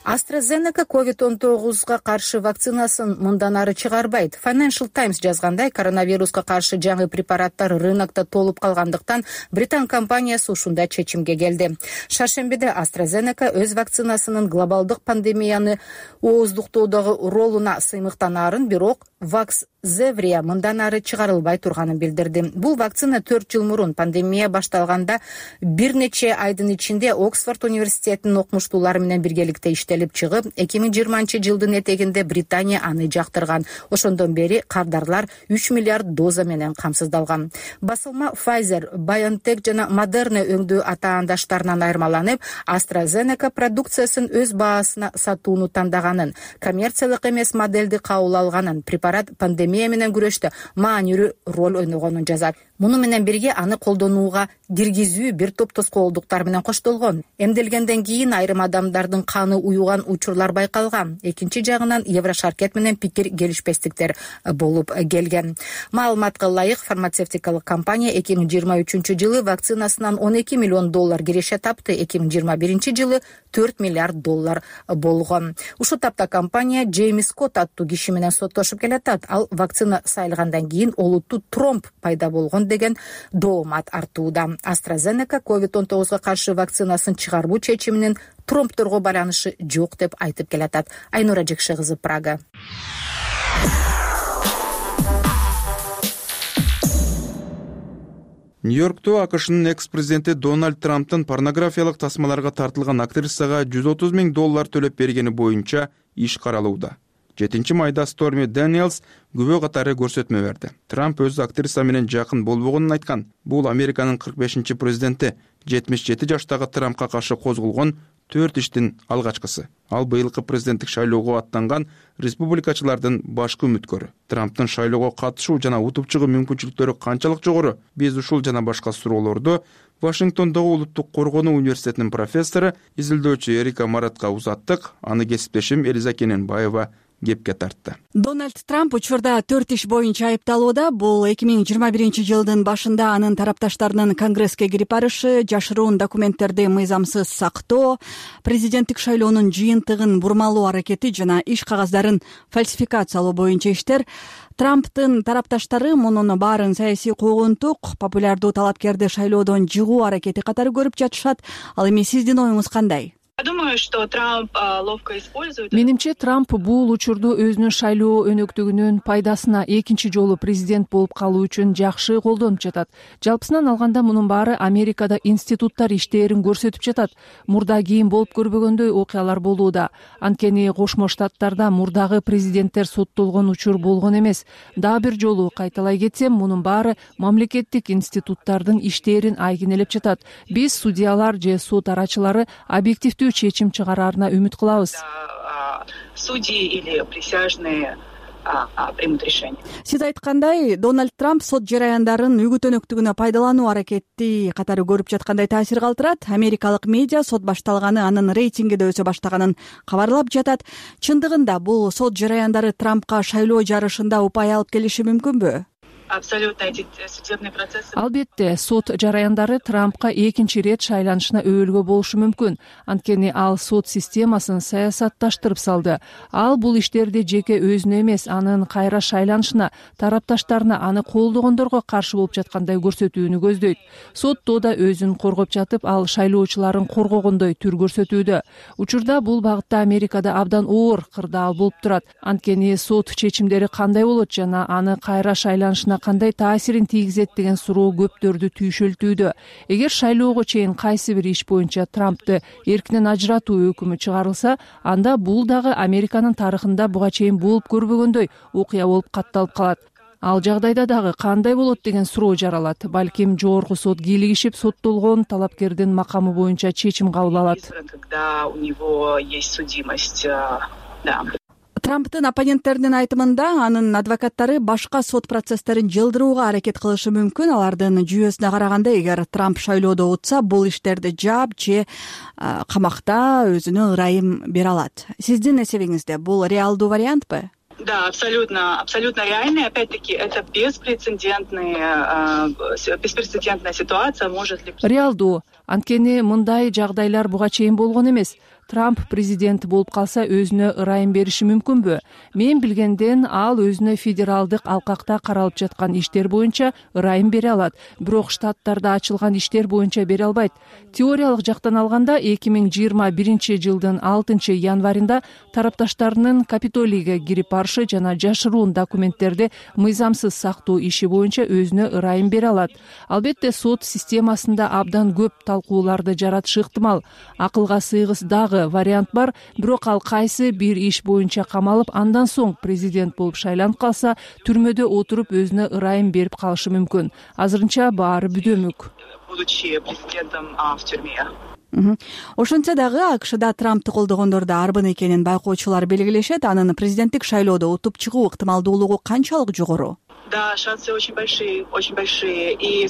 AstraZeneca COVID-19 каршы вакцинасын мындан ары чыгарбайт. Financial Times жазгандай, коронавируска каршы жаңы препараттар рынокто толуп калгандыктан Британ компаниясы ушундай чечимге келди. Шаршембиде AstraZeneca өз вакцинасынын глобалдык пандемияны ооздуктоодогу ролуна сыймыктанаарын, бирок Vaxzevria мындан ары чыгарылбай турганын билдирди. Бул вакцина 4 жыл мурун пандемия башталганда бир нече айдын ичинде Оксфорд университетинин окумуштуулары менен биргеликте иштелип чыгып, 2020 жылдын этегинде Британия аны жактырган. Ошондон бери кардарлар 3 миллиард доза менен камсыздалган. Басылма Pfizer, BioNTech жана Moderna өңдүү атаандаштарынан айырмаланып, AstraZeneca продукциясын өз баасына сатууну тандаганын, коммерциялык эмес модельди кабыл алганын, препарат пандемия менен күрөштө маанилүү роль ойногонун жазат. Муну менен бирге аны колдонууга киргизүү бир топ тоскоолдуктар менен коштолгон. Эмделгенден кийин айрым адамдардын каны уюган учурлар байкалган. Экинчи жагынан Еврошаркет менен пикир келишпестиктер болуп келген. Маалыматка ылайык, фармацевтикалык компания 2023 жылы вакцинасынан $12 миллион киреше тапты, 2021 жылы $4 миллиард болгон. Ушул тапта компания Джеймс Скотт аттуу киши менен соттошуп келатат. Ал вакцина сайылгандан кийин олуттуу тромб пайда болгон деген доомат артууда. AstraZeneca COVID-19 каршы вакцинасын чыгаруу чечиминин тромбторго байланышы жок деп айтып келатат. Айнура Жекше кызы, Прага. Нью-Йоркто АКШнын экс-президенти Дональд Трамптын порнографиялык тасмаларга тартылган актрисага $130 000 төлөп бергени боюнча иш каралууда. 7 майда Сторми Дэниелс күбө катары көрсөтмө берди. Трамп өз актриса менен жакын болбогонун айткан. Бул Американын 45-чи президенти 77 жаштагы Трампка каршы козголгон 4 иштин алгачкысы. Ал быйылкы президенттик шайлоого аттанган республикачылардын башкы үмүткөрү. Трамптын шайлоого катышуу жана утуп чыгуу мүмкүнчүлүктөрү канчалык жогору? Биз ушул жана башка суроолорду Вашингтондогу Улуттук коргонуу университетинин профессору, изилдөөчү Эрика Маратка узаттык. Аны кесиптешим Элиза Кененбаева кепке тартты. Дональд Трамп учурда 4 иш боюнча айыпталууда. Бул 2021-жылдын башында анын тарапташтарынын Конгресске кирип барышы, жашыруун документтерди мыйзамсыз сактоо, президенттик шайлоонун жыйынтыгын бурмалоо аракети жана иш кагаздарын фальсификациялоо боюнча иштер. Трамптын тарапташтары мунун баарын саясий куугунтук, популярдуу талапкерди шайлоодон жыгуу аракети катары көрүп жатышат. Ал эми сиздин оюңуз кандай? Думаю, что Трамп ловко использует. Менимче, Трамп бул учурду өзүнүн шайлоо өнөктүгүнүн пайдасына экинчи жолу президент болуп калуу үчүн жакшы колдонуп жатат. Жалпысынан алганда мунун баары Америкада институттар иштээрин көрсөтүп жатат. Мурда кийин болуп көрбөгөндөй окуялар болууда. Анткени Кошмо Штаттарда мурдагы президенттер соттолгон учур болгон эмес. Дагы бир жолу кайталай кетсем, мунун баары мамлекеттик институттардын иштээрин айгинелеп жатат. Биз судьялар же сот арачылары объективдүү чечим чыгараарына үмүт кылабыз. Судьи или присяжные примут решение. Сиз айткандай, Дональд Трамп сот жараяндарын үгүт өнөктүгүнө пайдалануу аракети катары көрүп жаткандай таасир калтырат. Америкалык медиа сот башталганы, анын рейтинги да өсө баштаганын кабарлап жатат. Чындыгында бул сот жараяндары Трампка шайлоо жарышында упай алып келиши мүмкүнбү? Абсолютно эти судебные процессы. Албетте, сот жараяндары Трампка экинчи рет шайланышына өбөлгө болушу мүмкүн. Анткени ал сот системасын саясатташтырып салды. Ал бул иштерди жеке өзүнө эмес, анын кайра шайланышына, тарапташтарына, аны колдогондорго каршы болуп жаткандай көрсөтүүнү көздөйт. Сотто да өзүн коргоп жатып, ал шайлоочуларын коргогондой түр көрсөтүүдө. Учурда бул багытта Америкада абдан оор кырдаал болуп турат. Анткени сот чечимдери кандай болот жана аны кайра шайланышына кандай таасирин тийгизет деген суроо көптөрдү түйшөлтүүдө. Эгер шайлоого чейин кайсы бир иш боюнча Трампты эркинен ажыратуу өкүмү чыгарылса, анда бул дагы Американын тарыхында буга чейин болуп көрбөгөндөй окуя болуп катталып калат. Ал жагдайда дагы кандай болот деген суроо жаралат. Балким жогорку сот кийлигишип соттолгон талапкердин макамы боюнча чечим кабыл алат. Когда у него есть судимость, да. Трамптын оппоненттеринин айтымында анын адвокаттары башка сот процесстерин жылдырууга аракет кылышы мүмкүн. Алардын жүйөсүнө караганда, эгер Трамп шайлоодо утса, бул иштерди жаап же камакта өзүнө ырайым бере алат. Сиздин эсебиңизде бул реалдуу вариантпы? Да, абсолютно реальный. Опять-таки, это беспрецедентная ситуация. Может ли... Реалдуу. Анткени мындай жагдайлар буга чейин болгон эмес. Трамп президент болуп калса өзүнө ырайым бериши мүмкүнбү? Мен билгенден ал өзүнө федералдык алкакта каралып жаткан иштер боюнча ырайым бере алат. Бирок штаттарда ачылган иштер боюнча бере албайт. Теориялык жактан алганда 2021-жылдын 6 январында тарапташтарынын Капитолийге кирип барышы жана жашыруун документтерди мыйзамсыз сактоо иши боюнча өзүнө ырайым бере алат. Албетте, сот системасында абдан көп талкууларды жаратышы ыктымал. Акылга сыйгыс дагы вариант бар, бирок ал кайсы бир иш боюнча камалып, андан соң президент болуп шайланып калса, түрмөдө отуруп өзүнө ырайым берип калышы мүмкүн. Азырынча баары бүдөмүк. Будучи президентом в тюрьме. Ошентсе дагы АКШда Трампты колдогондор да арбын экенин байкоочулар белгилешет. Анын президенттик шайлоодо утуп чыгуу ыктымалдуулугу канчалык жогору? Да, шансы очень большие. И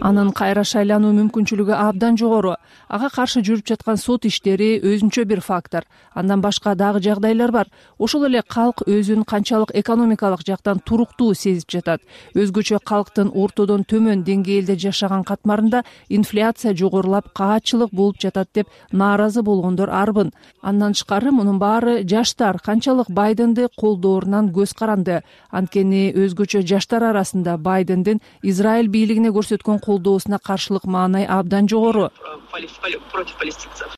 анын кайра шайлануу мүмкүнчүлүгү абдан жогору. Ага каршы жүрүп жаткан сот иштери өзүнчө бир фактор. Андан башка дагы жагдайлар бар. Ошол эле калк өзүн канчалык экономикалык жактан туруктуу сезип жатат. Өзгөчө калктын ортодон төмөн деңгээлде жашаган катмарында инфляция жогорулап, каатчылык болуп жатат деп нааразы болгондор арбын. Андан тышкары мунун баары жаштар канчалык Байденди колдоорунан көз каранды. Анткени өзгөчө жаштар арасында Байдендин Израиль бийлигине көрсөткөн колдоосуна каршылык маанай абдан жогору. Против палестинцев.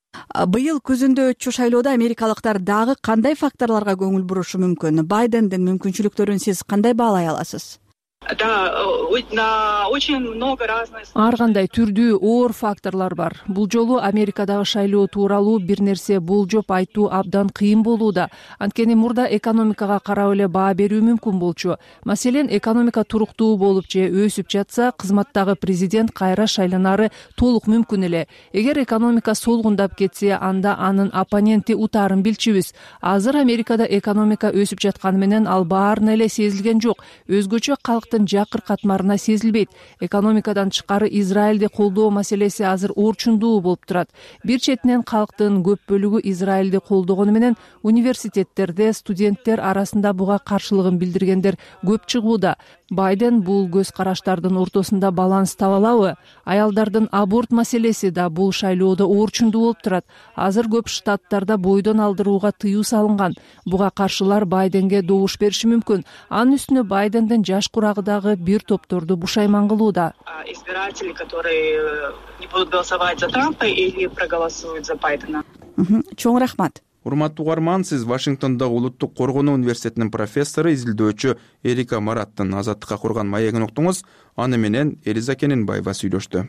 Быйыл күзүндө өтчү шайлоодо америкалыктар дагы кандай факторлорго көңүл бурушу мүмкүн? Байдендин мүмкүнчүлүктөрүн сиз кандай баалай аласыз? Да, очень много разных. Ар кандай түрдүү оор факторлор бар. Бул жолу Америкадагы шайлоо тууралуу бир нерсе болжоп айтуу абдан кыйын болууда. Анткени мурда экономикага карап эле баа берүү мүмкүн болчу. Маселен, экономика туруктуу болуп же өсүп жатса, кызматтагы президент кайра шайланары толук мүмкүн эле. Эгер экономика солгундап кетсе, анда анын оппоненти утаарын билчүбүз. Азыр Америкада экономика өсүп жатканы менен ал баарына эле сезилген жок. Өзгөчө калктын жакыр катмарына сезилбейт. Экономикадан тышкары Израилди колдоо маселеси азыр орчундуу болуп турат. Бир четинен калктын көп бөлүгү Израилди колдогону менен университеттерде студенттер арасында буга каршылыгын билдиргендер көп чыгууда. Байден бул көз караштардын ортосунда баланс таба алабы? Аялдардын аборт маселеси да бул шайлоодо орчундуу болуп турат. Азыр көп штаттарда бойдон алдырууга тыюу салынган. Буга каршылар Байденге добуш бериши мүмкүн. Анын үстүнө Байдендин жаш курагыдагы бир топторду бушайман кылууда. Избиратели, которые не будут голосовать за Трампа или проголосуют за Байдена. Чоң рахмат. Урматтуу угарман, сиз Вашингтондогу Улуттук коргонуу университетинин профессору, изилдөөчү Эрика Мараттын Азаттыкка курган маегин уктуңуз. Аны менен Элиза Кененбаева сүйлөштү.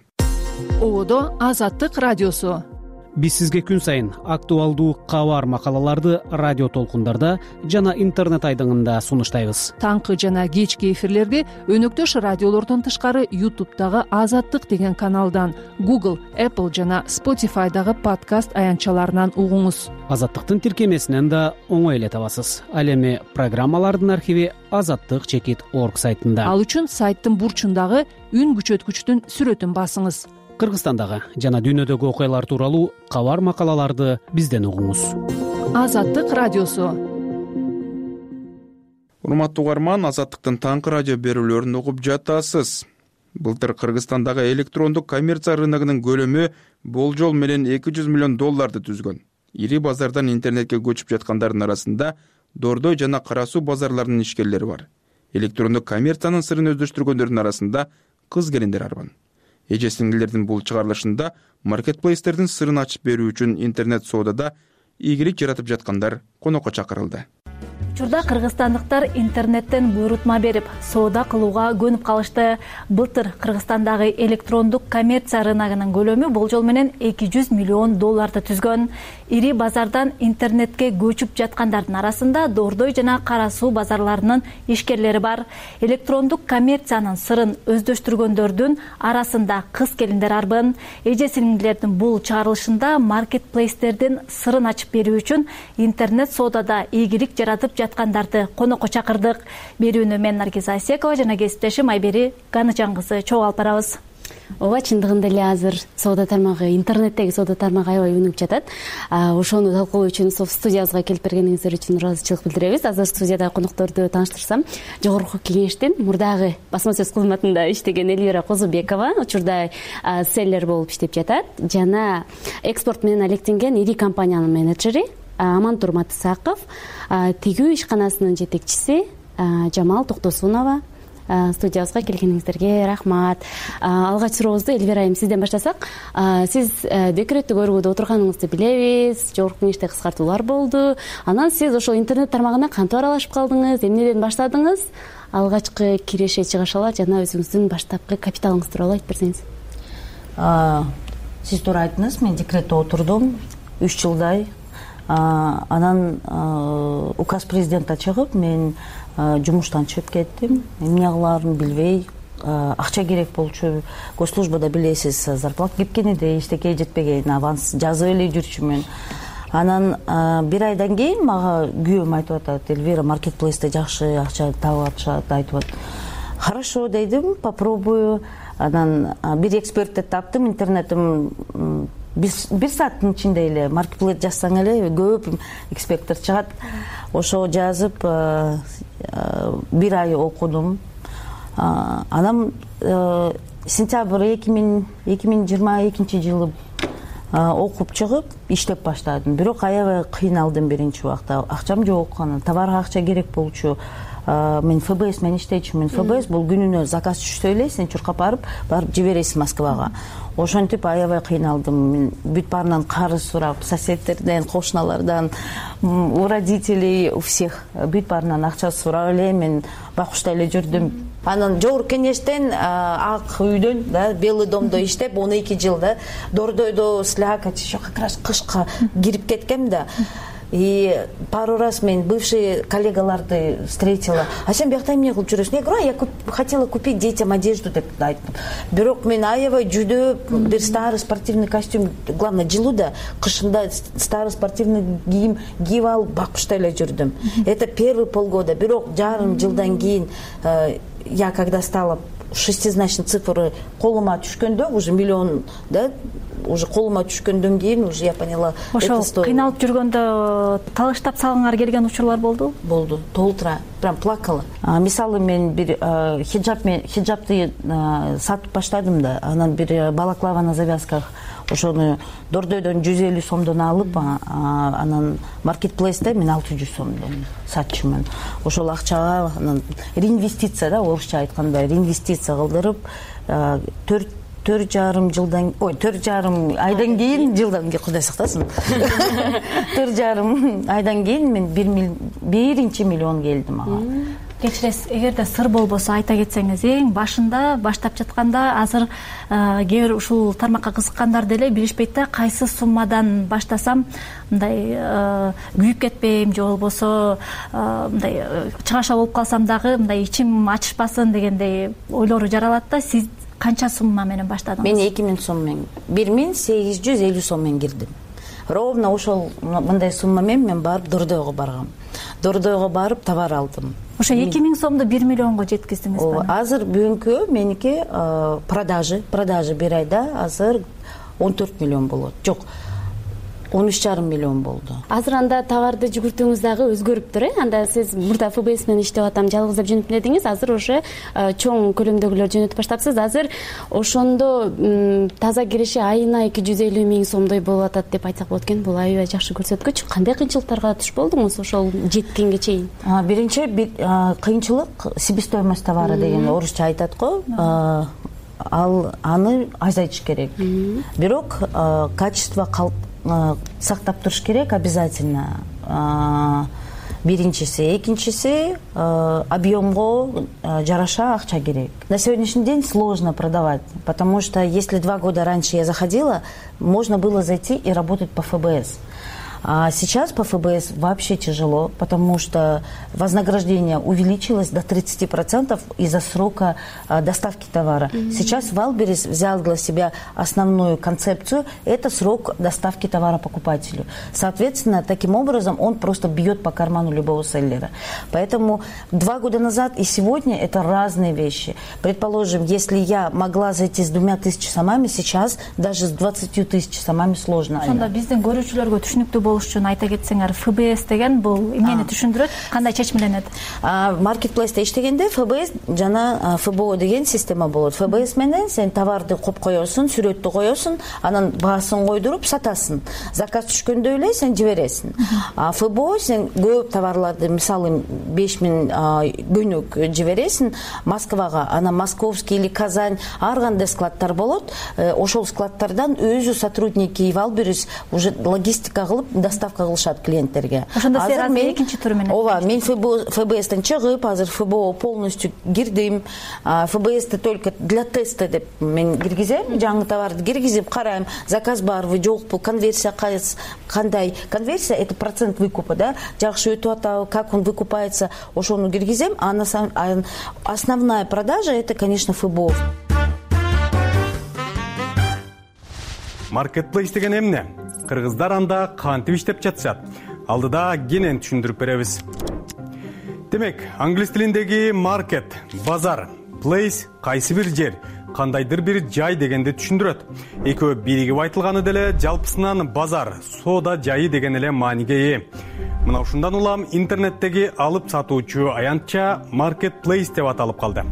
Ободо Азаттык радиосу. Биз сизге күн сайын актуалдуу кабар макалаларды радио толкундарда жана интернет айдыңында сунуштайбыз. Таңкы жана кечки эфирлерди өнөктөш радиолордон тышкары YouTube'дагы Азаттык деген каналдан, Google, Apple жана Spotify'дагы подкаст аянтчаларынан угуңуз. Азаттыктын тиркемесинен да оңой эле табасыз. Ал эми программалардын архиви azattik.org сайтында. Ал үчүн сайттын бурчундагы үн күчөткүчтүн сүрөтүн басыңыз. Кыргызстандагы жана дүйнөдөгү окуялар тууралуу кабар макалаларды бизден угуңуз. Азаттык радиосу. Урматтуу угарман, Азаттыктын таңкы радио берүүлөрүн угуп жатасыз. Былтыр Кыргызстандагы электрондук коммерция рыногунун көлөмү болжол менен $200 миллион түзгөн. Ири базардан интернетке көчүп жаткандардын арасында Дордой жана Кара Суу базарларынын ишкерлери бар. Электрондук коммерциянын сырын өздөштүргөндөрдүн арасында кыз келиндер арбан. Эже-сиңдилердин бул чыгарылышында маркетплейстердин сырын ачып берүү үчүн интернет соодада ийгилик жаратып жаткандар конокко чакырылды. Учурда кыргызстандыктар интернеттен буйрутма берип, соода кылууга көнүп калышты. Былтыр Кыргызстандагы электрондук коммерция рыногунун көлөмү болжол менен $200 миллион түзгөн. Ири базардан интернетке көчүп жаткандардын арасында Дордой жана Кара Суу базарларынын ишкерлери бар. Электрондук коммерциянын сырын өздөштүргөндөрдүн арасында кыз келиндер арбын. Эже-сиңдилердин бул чыгарылышында маркетплейстердин сырын ачып берүү үчүн интернет соодада ийгилик жаратып жаткандарды конокко чакырдык. Берүүнү мен Наргиза Асекова жана кесиптешим Айбери Ганычан кызы чогуу алып барабыз. Ооба, чындыгында эле азыр соода тармагы, интернеттеги соода тармагы аябай өнүгүп жатат. Ошону талкуулоо үчүн студиябызга келип бергениңиздер үчүн ыраазычылык билдиребиз. Азыр студиядагы конокторду тааныштырсам, Жогорку Кеңештин мурдагы басма сөз кызматында иштеген Элвира Козубекова, учурда селлер болуп иштеп жатат, жана экспорт менен алектенген ири компаниянын менеджери Амантур Матысаков, тигүү ишканасынын жетекчиси Жамал Токтосунова. Студиябызга келгениңиздерге рахмат. Алгач сурообузду Элвира айым сизден баштасак. Сиз декреттик өргүүдө отурганыңызды билебиз. Жогорку Кеңеште кыскартуулар болду. Анан сиз ошол интернет тармагына кантип аралашып калдыңыз? Эмнеден баштадыңыз? Алгачкы киреше чыгышалар жана өзүңүздүн баштапкы капиталыңыз тууралуу айтып берсеңиз. Сиз туура айттыңыз. Мен декретте отурдум 3 жылдай. Анан указ президента чыгып, мен жумуштан чыгып кеттим. Эмне кылаарын билбей, акча керек болчу. Госслужбада билесиз, зарплата кепкениде эчтеке жетпеген, аванс жазып эле жүрчүмүн. Анан бир айдан кийин мага күйөөм айтып атат, Элвира, маркетплейсте жакшы акча таап атышат, айтып атат. Хорошо дедим, попробую. Анан бир экспертти таптым, интернетим бир сааттын ичинде эле маркетплейс жазсаң эле көп эксперттер чыгат. Ошо жазып бир ай окудум. Анан сентябрь 2022 жылы окуп чыгып иштеп баштадым. Бирок аябай кыйналдым биринчи убакта. Акчам жок, анан товарга акча керек болчу. мен ФБС менен иштейчүмүн. ФБС бул күнүнө заказ түшсө эле сен чуркап барып жибересиң Москвага. Ошентип аябай кыйналдым. Мен бүт баарынан карыз сурап, соседтерден, кошуналардан, у родителей, у всех бүт баарынан акча сурап эле мен бакуштай эле жүрдүм. Анан жогорку кеңештен ак үйдөн, Белый домдо иштеп 12 жыл Дордойдо слякоть, еще как раз кышка кирип кеткем да. И пару раз мен бывшие коллегаларды встретила. А сен биякта эмне кылып жүрөсүң? Я говорю, я хотела купить детям одежду деп айттым. Бирок мен аябай жүдөп, бир старый спортивный костюм, главное жылууда, кышында старый спортивный кийим кийип алып бакуштай эле жүрдүм. Это первый полгода. Бирок жарым жылдан кийин я когда стала шестизначный цифры колума түшкөндө, уже миллион, уже колума түшкөндөн кийин уже я поняла. Ошол кыйналып жүргөндө талыштап салгыңар келген учурлар болду? Болду. Толтура прям плакала. Мисалы мен бир хиджабты сатып баштадым да, анан бир балаклава на завязках ошону Дордойдон 150 сомдон алып, анан маркетплейсте мен 600 сомдон сатчумун. Ошол акчага анан реинвестиция орусча айтканда реинвестиция кылдырып 4,5 жылдан, 4,5 айдан кийин, Кудай сактасын. 4,5 айдан кийин мен 1 миллион келдим ага. Кечиресиз, эгерде сыр болбосо айта кетсеңиз, эң башында баштап жатканда азыр кээ бир ушул тармакка кызыккандар деле билишпейт да, кайсы суммадан баштасам мындай күйүп кетпейм же болбосо мындай чыгаша болуп калсам дагы мындай ичим ачышпасын дегендей ойлору жаралат да. Сиз канча сумма менен баштадыңыз? Мен 2000 сом менен, 1850 сом менен кирдим. Ровно ошол мындай сумма менен мен барып Дордойго баргам. Дордойго барып товар алдым. Ошо 2000 сомду 1 миллионго жеткиздиңиз. Азыр бүгүнкү меники продажи бир айда азыр 14 миллион болот. Жок, 13,5 миллион болду. Азыр анда товарды жүгүртүүңүз дагы өзгөрүптүр, Анда сиз мурда ФБС менен иштеп атам, жалгыздап жөнөтүм дедиңиз, азыр уже чоң көлөмдөгүлөр жөнөтүп баштапсыз. Азыр ошондо таза кириши айына 250 миң сомдой болуп атат деп айтсак болот экен. Бул аябай жакшы көрсөткүч. Кандай кыйынчылыктарга туш болдуңуз ошол жеткенге чейин? Биринчи кыйынчылык себестоимость товара деген орусча айтат го. Аны азайтыш керек. Бирок качество сактап туруш керек обязательно. Биринчиси, экинчиси объемго жараша акча керек. На сегодняшний день сложно продавать, потому что если 2 года раньше я заходила, можно было зайти и работать по ФБС. А сейчас по ФБС вообще тяжело, потому что вознаграждение увеличилось до 30% из-за срока доставки товара. Сейчас Валберес взял для себя основную концепцию – это срок доставки товара покупателю. Соответственно, таким образом он просто бьет по карману любого селлера. Поэтому 2 года назад и сегодня это разные вещи. Предположим, если я могла зайти с 2000 сомами, сейчас даже с 20 тысяч сомами сложно. Ошондо биздин көрүүчүлөргө түшүнүктүү болуш үчүн айта кетсеңер, ФБС деген бул эмнени түшүндүрөт, кандай чечмеленет? Маркетплейсте иштегенде ФБС жана ФБО деген система болот. ФБС менен сен товарды коюп коесуң, сүрөттү коесуң, анан баасын койдуруп сатасың. Заказ түшкөндө эле сен жибересиң. ФБО сен көп товарларды, мисалы 5000 көнөк жибересиң Москвага, анан Московский или Казань, ар кандай складтар болот. Ошол складтардан өзү сотрудники Валберес уже логистика кылып доставка кылышат клиенттерге. Ошондо сиз азыр экинчи туру менен. Ооба, мен ФБСтен чыгып, азыр ФБО полностью кирдим. ФБСти только для теста деп мен киргизем, жаңы товарды киргизип карайм, заказ барбы, жокпу, конверсия кандай. Конверсия это процент выкупа, да? Жакшы өтүп атабы, как он выкупается, ошону киргизем, а основная продажа это, конечно, ФБО. Маркетплейс деген эмне? Кыргыздар анда кантип иштеп жатышат? Алдыда кенен түшүндүрүп беребиз. Демек, англис тилиндеги маркет, базар, плейс кайсы бир жер, кандайдыр бир жай дегенди түшүндүрөт. Экөө биригип айтылганы деле жалпысынан базар, соода жайы деген эле мааниге ээ. Мына ушундан улам интернеттеги алып сатуучу аянтча маркетплейс деп аталып калды.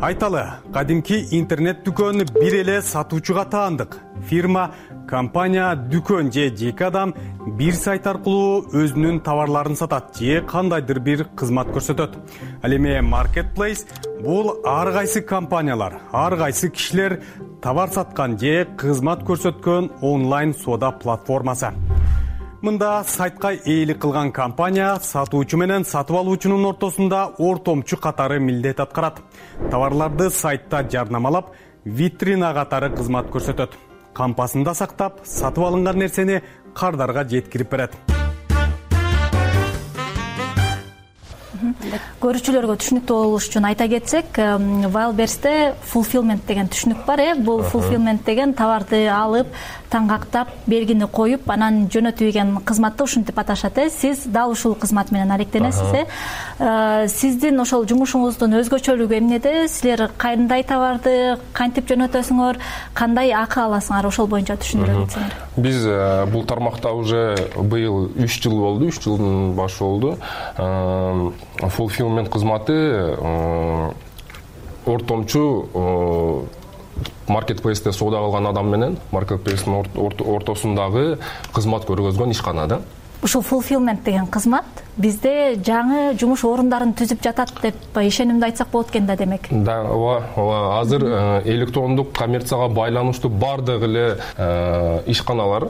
Айталы, кадимки интернет дүкөн бир эле сатуучуга таандык. Фирма, компания, дүкөн же жеке адам бир сайт аркылуу өзүнүн товарларын сатат же кандайдыр бир кызмат көрсөтөт. Ал эми Marketplace бул ар кайсы компаниялар, ар кайсы кишилер товар саткан же кызмат көрсөткөн онлайн соода платформасы. Мында сайтка ээлик кылган компания сатуучу менен сатып алуучунун ортосунда ортомчу катары милдет аткарат. Товарларды сайтта жарнамалап, витрина катары кызмат көрсөтөт. Кампасында сактап, сатып алынган нерсени кардарга жеткирип берет. Көрүүчүлөргө түшүнүктүү болуш үчүн айта кетсек, Wildberries'те fulfillment деген түшүнүк бар. Бул fulfillment деген товарды алып, таңгактап, белгини коюп, анан жөнөтүү деген кызматты ушинтип аташат. Сиз дал ушул кызмат менен алектенесиз. Сиздин ошол жумушуңуздун өзгөчөлүгү эмнеде? Силер кандай товарды кантип жөнөтөсүңөр, кандай акы аласыңар, ошол боюнча түшүндүрө кетсеңер. Биз бул тармакта уже быйыл 3 жыл болду, 3 жылдын башы болду. Fulfillment кызматы ортомчу Marketplace'те соода кылган адам менен Marketplace'тин ортосундагы кызмат көргөзгөн ишкана да. Ушул fulfillment деген кызмат бизде жаңы жумуш орундарын түзүп жатат деп ишенимди айтсак болот экен да, демек. Да, ооба. Азыр электрондук коммерцияга байланыштуу бардык эле ишканалар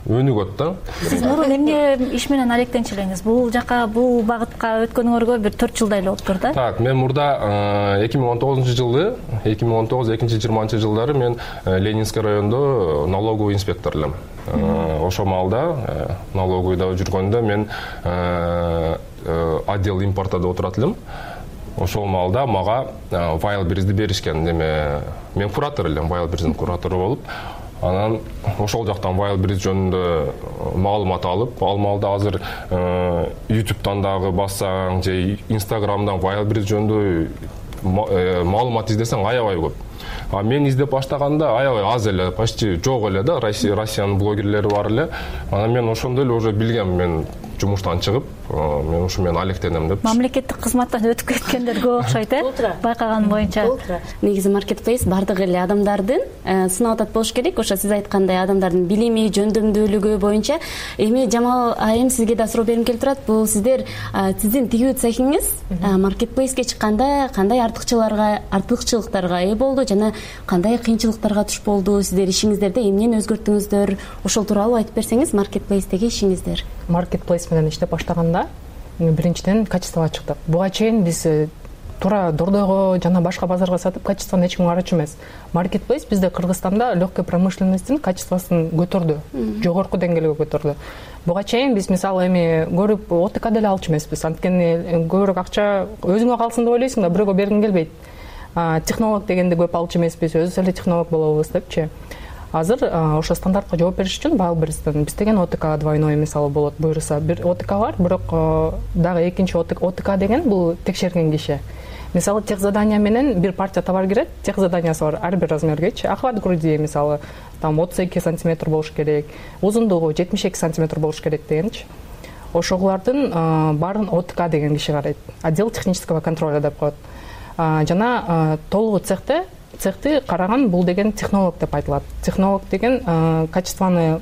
өнүгөт да. Сиз мурун эмне иш менен алектенчү элеңиз? Бул жака, бул багытка өткөнүңөргө бир 4 жылдай эле болуптур да? Так, мен мурда 2019-жылы, 2019-2020 жылдары мен Ленинский райондо налоговый инспектор элем. Ошо маалда налоговыйда жүргөндө мен отдел импортада отурат элем. Ошол маалда мага Wildberries'ди беришкен. Мен куратор элем, Wildberries'дин куратору болуп, анан ошол жактан Wildberries жөнүндө маалымат алып, ал маалда азыр YouTube'дан дагы бассаң же Instagram'дан Wildberries жөнүндө маалымат издесең аябай көп. Мен издеп баштаганда аябай аз эле, почти жок эле да, Россиянын блогерлери бар эле. Анан мен ошондо эле уже билгем, мен жумуштан чыгып, мен ушу мен алектенем деп. Мамлекеттик кызматтан өтүп кеткендер көп окшойт, байкаган боюнча. Негизи Marketplace бардык эле адамдардын сынап атат болуш керек. Ошо сиз айткандай адамдардын билими, жөндөмдүүлүгү боюнча. Эми Жамал айым, сизге да суроо берим келип турат. Бул сиздин тигүү цехиңиз Marketplace'ке чыкканда кандай артыкчылыктарга ээ болду жана кандай кыйынчылыктарга туш болду? Сиздер ишиңиздерде эмнени өзгөрттүңүздөр? Ошол тууралуу айтып берсеңиз, Marketplace'теги ишиңиздер. Marketplace менен иштеп баштаганда биринчиден качествого чыктык. Буга чейин биз туура дордойго жана башка базарга сатып качествону эч ким карачу эмес. Marketplace бизде Кыргызстанда легкой промышленностьтин качествосун көтөрдү, жогорку деңгээлге көтөрдү. Буга чейин биз мисалы эми көрүп ОТК деле алчу эмеспиз. Анткени көбүрөөк акча өзүңө калсын деп ойлойсуң да, бирөөгө бергиң келбейт. Технолог дегенди көп алчу эмеспиз, өзүбүз эле технолог болобуз депчи. Азыр ошо стандартка жооп бериш үчүн Wildberries'тен биз деген ОТК двойной мисалы болот, буйруса бир ОТК бар, бирок дагы экинчи ОТК деген бул текшерген киши. Мисалы техзадание менен бир партия товар кирет, техзаданиясы бар ар бир размергечи. Охват груди мисалы там 32 сантиметр болуш керек, узундугу 72 сантиметр болуш керек дегенчи. Ошолордун баарын ОТК деген киши карайт. Отдел технического контроля деп коет. Жана толугу цехти караган бул деген технолог деп айтылат. Технолог деген качествону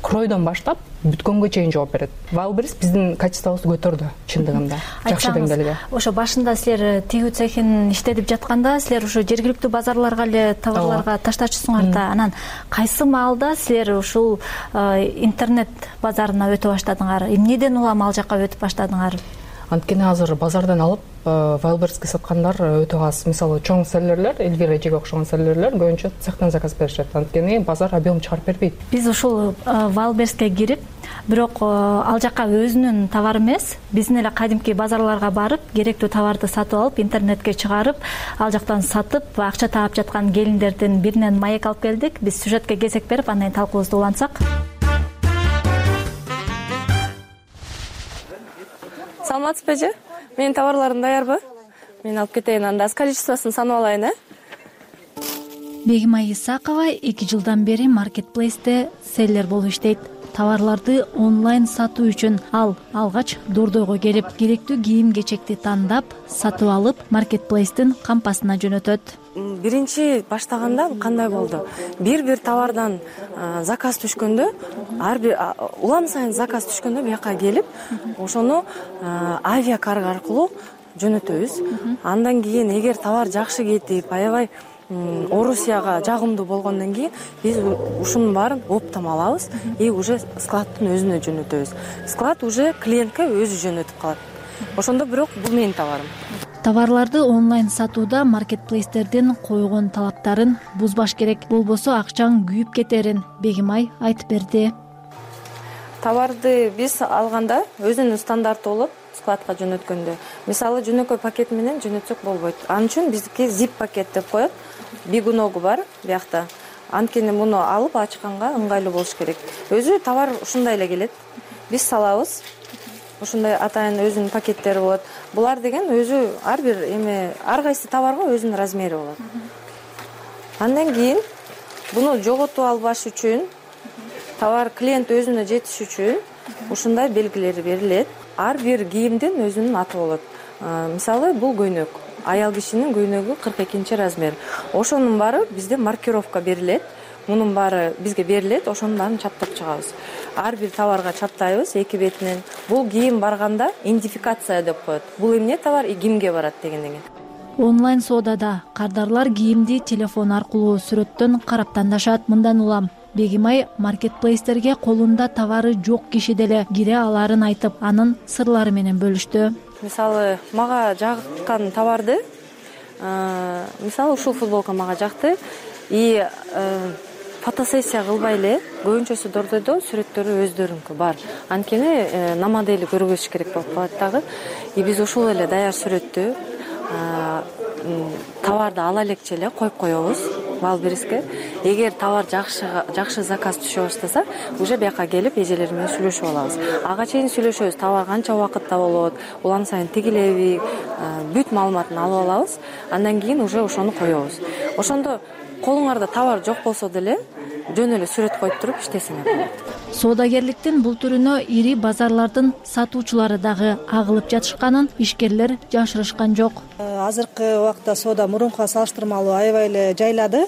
кройдон баштап бүткөнгө чейин жооп берет. Wildberries биздин качествобузду көтөрдү чындыгында, жакшы деңгээлге. Ошо башында силер тигүү цехин иштетип жатканда силер ошо жергиликтүү базарларга эле товарларга таштачусуңар да. Анан кайсы маалда силер ушул интернет базарына өтө баштадыңар? Эмнеден улам ал жака өтүп баштадыңар? Анткени азыр базардан алып Wildberries'ке саткандар өтө аз. Мисалы чоң селлерлер, Эльвира эжеге окшогон селлерлер көбүнчө цехтен заказ беришет. Анткени базар объем чыгарып бербейт. Биз ушул Wildberries'ке кирип, бирок ал жака өзүнүн товары эмес, биздин эле кадимки базарларга барып, керектүү товарды сатып алып, интернетке чыгарып, ал жактан сатып, акча таап жаткан келиндердин биринен маек алып келдик. Биз сюжетке кезек берип, андан кийин талкуубузду улантсак. Саламатсызбы? Менин товарларым даярбы? Мен алып кетейин, анда количествосын санап алайын, Бегимай Исакова 2 жылдан бери Marketplace'те селлер болуп иштейт. товарларды онлайн сатуу үчүн ал алгач дордойго келип керектүү кийим кечекти тандап сатып алып маркетплейстин кампасына жөнөтөт. Биринчи баштаганда кандай болду? Бир товардан заказ түшкөндө, ар бир улам сайын заказ түшкөндө бияка келип, ошону авиакарго аркылуу жөнөтөбүз. Андан кийин эгер товар жакшы кетип, аябай Орусияга жагымдуу болгондон кийин биз ушунун баарын оптом алабыз и уже складтын өзүнө жөнөтөбүз. Склад уже клиентке өзү жөнөтүп калат. Ошондо бирок бул менин товарым. Товарларды онлайн сатууда маркетплейстердин койгон талаптарын бузбаш керек, болбосо акчаң күйүп кетерин Бегимай айтып берди. Товарды биз алганда өзүнүн стандарты болот. Складка жөнөткөндө, мисалы жөнөкөй пакет менен жөнөтсөк болбойт. Анын үчүн биздики zip пакет деп коет. Бигуногу бар биякта. Анткени муну алып ачканга ыңгайлуу болуш керек. Өзү товар ушундай эле келет. Биз салабыз. Ушундай атайын өзүнүн пакеттери болот. Булар деген өзү ар бир ар кайсы товарга өзүнүн размери болот. Андан кийин буну жоготуп албаш үчүн, товар клиент өзүнө жетиш үчүн ушундай белгилери берилет. Ар бир кийимдин өзүнүн аты болот. Мисалы бул көйнөк. Аял кишинин көйнөгү 42 размер. Ошонун баары бизде маркировка берилет. Мунун баары бизге берилет, ошонун баарын чаптап чыгабыз. Ар бир товарга чаптайбыз эки бетинен. Бул кийим барганда идентификация деп коет. Бул эмне товар и кимге барат дегенден. Онлайн соодада кардарлар кийимди телефон аркылуу сүрөттөн карап тандашат. Мындан улам Бегимай маркетплейстерге колунда товары жок киши деле кире аларын айтып, анын сырлары менен бөлүштү. Мисалы, мага жаккан товарды, мисалы ушул футболка мага жакты и фотосессия кылбай эле көбүнчөсү дордойдо сүрөттөрү өздөрүнкү бар. Анткени на модели көргөзүш керек болуп калат дагы. И биз ушул эле даяр сүрөттү товарды ала элекче эле коюп коебуз Вайлберриске. Эгер товар жакшы заказ түшө баштаса, уже бияка келип эжелер менен сүйлөшүп алабыз. Ага чейин сүйлөшөбүз, товар канча убакытта болот, улам сайын тигилеби, бүт маалыматын алып алабыз. Андан кийин уже ошону коебуз. Ошондо колуңарда товар жок болсо деле жөн эле сүрөт коюп туруп иштесеңер болот. Соодагерликтин бул түрүнө ири базарлардын сатуучулары дагы агылып жатышканын ишкерлер жашырышкан жок. Азыркы убакта соода мурункуга салыштырмалуу аябай эле жайлады.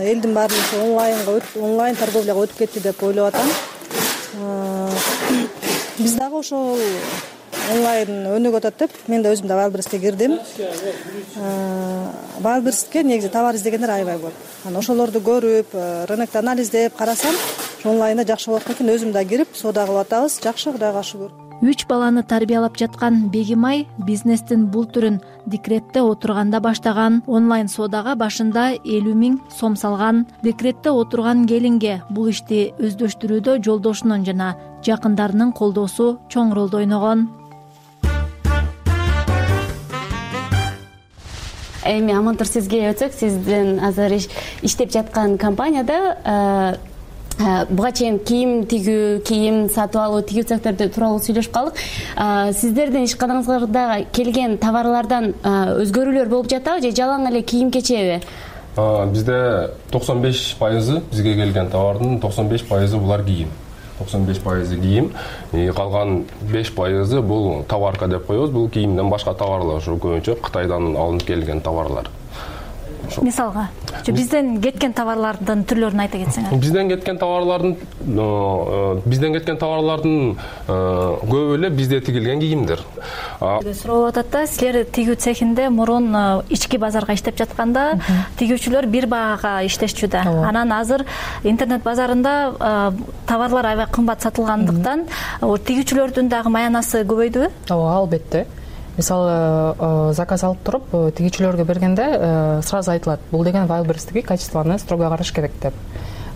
Элдин баары онлайн торговляга өтүп кетти деп ойлоп атам. Биз дагы ошол онлайн өнүгүп атат деп мен да өзүм да Вайлберриске кирдим. Вайлберриске негизи товар издегендер аябай көп. Анан ошолорду көрүп, рынокто анализдеп карасам, онлайнда жакшы болот экен. Өзүм да кирип, соода кылып атабыз. Жакшы, Кудайга шүгүр. 3 баланы тарбиялап жаткан Бегимай бизнестин бул түрүн декретте отурганда баштаган. Онлайн соодага башында 50 000 сом салган. Декретте отурган келинге бул ишти өздөштүрүүдө жолдошунун жана жакындарынын колдоосу чоң ролду ойногон. Эми Амантур, сизге өтсөк, сиздин азыр иштеп жаткан компанияда буга чейин кийим тигүү, кийим сатып алуу, тигүү цехтерди тууралуу сүйлөшүп калдык. Сиздердин ишканаңыздарда келген товарлардан өзгөрүүлөр болуп жатабы же жалаң эле кийим кечеби? Бизде 95% бизге келген товардын 95% булар кийим. 95% кийим, калган 5% бул товарка деп коебуз. Бул кийимден башка товарлар, ушу көбүнчө Кытайдан алынып келген товарлар. Мисалга, бизден кеткен товарлардын түрлөрүн айта кетсеңер. Бизден кеткен товарлардын көбү эле бизде тигилген кийимдер. Суроо атат да, силер тигүү цехинде мурун ички базарга иштеп жатканда тигүүчүлөр бир баага иштешчү да. Анан азыр интернет базарында товарлар аябай кымбат сатылгандыктан тигүүчүлөрдүн дагы маянасы көбөйдүбү? Ооба, албетте. Мисалы, заказ алып туруп тигүүчүлөргө бергенде сразу айтылат, бул деген Вайлберрисдеги качествоны строго караш керек деп.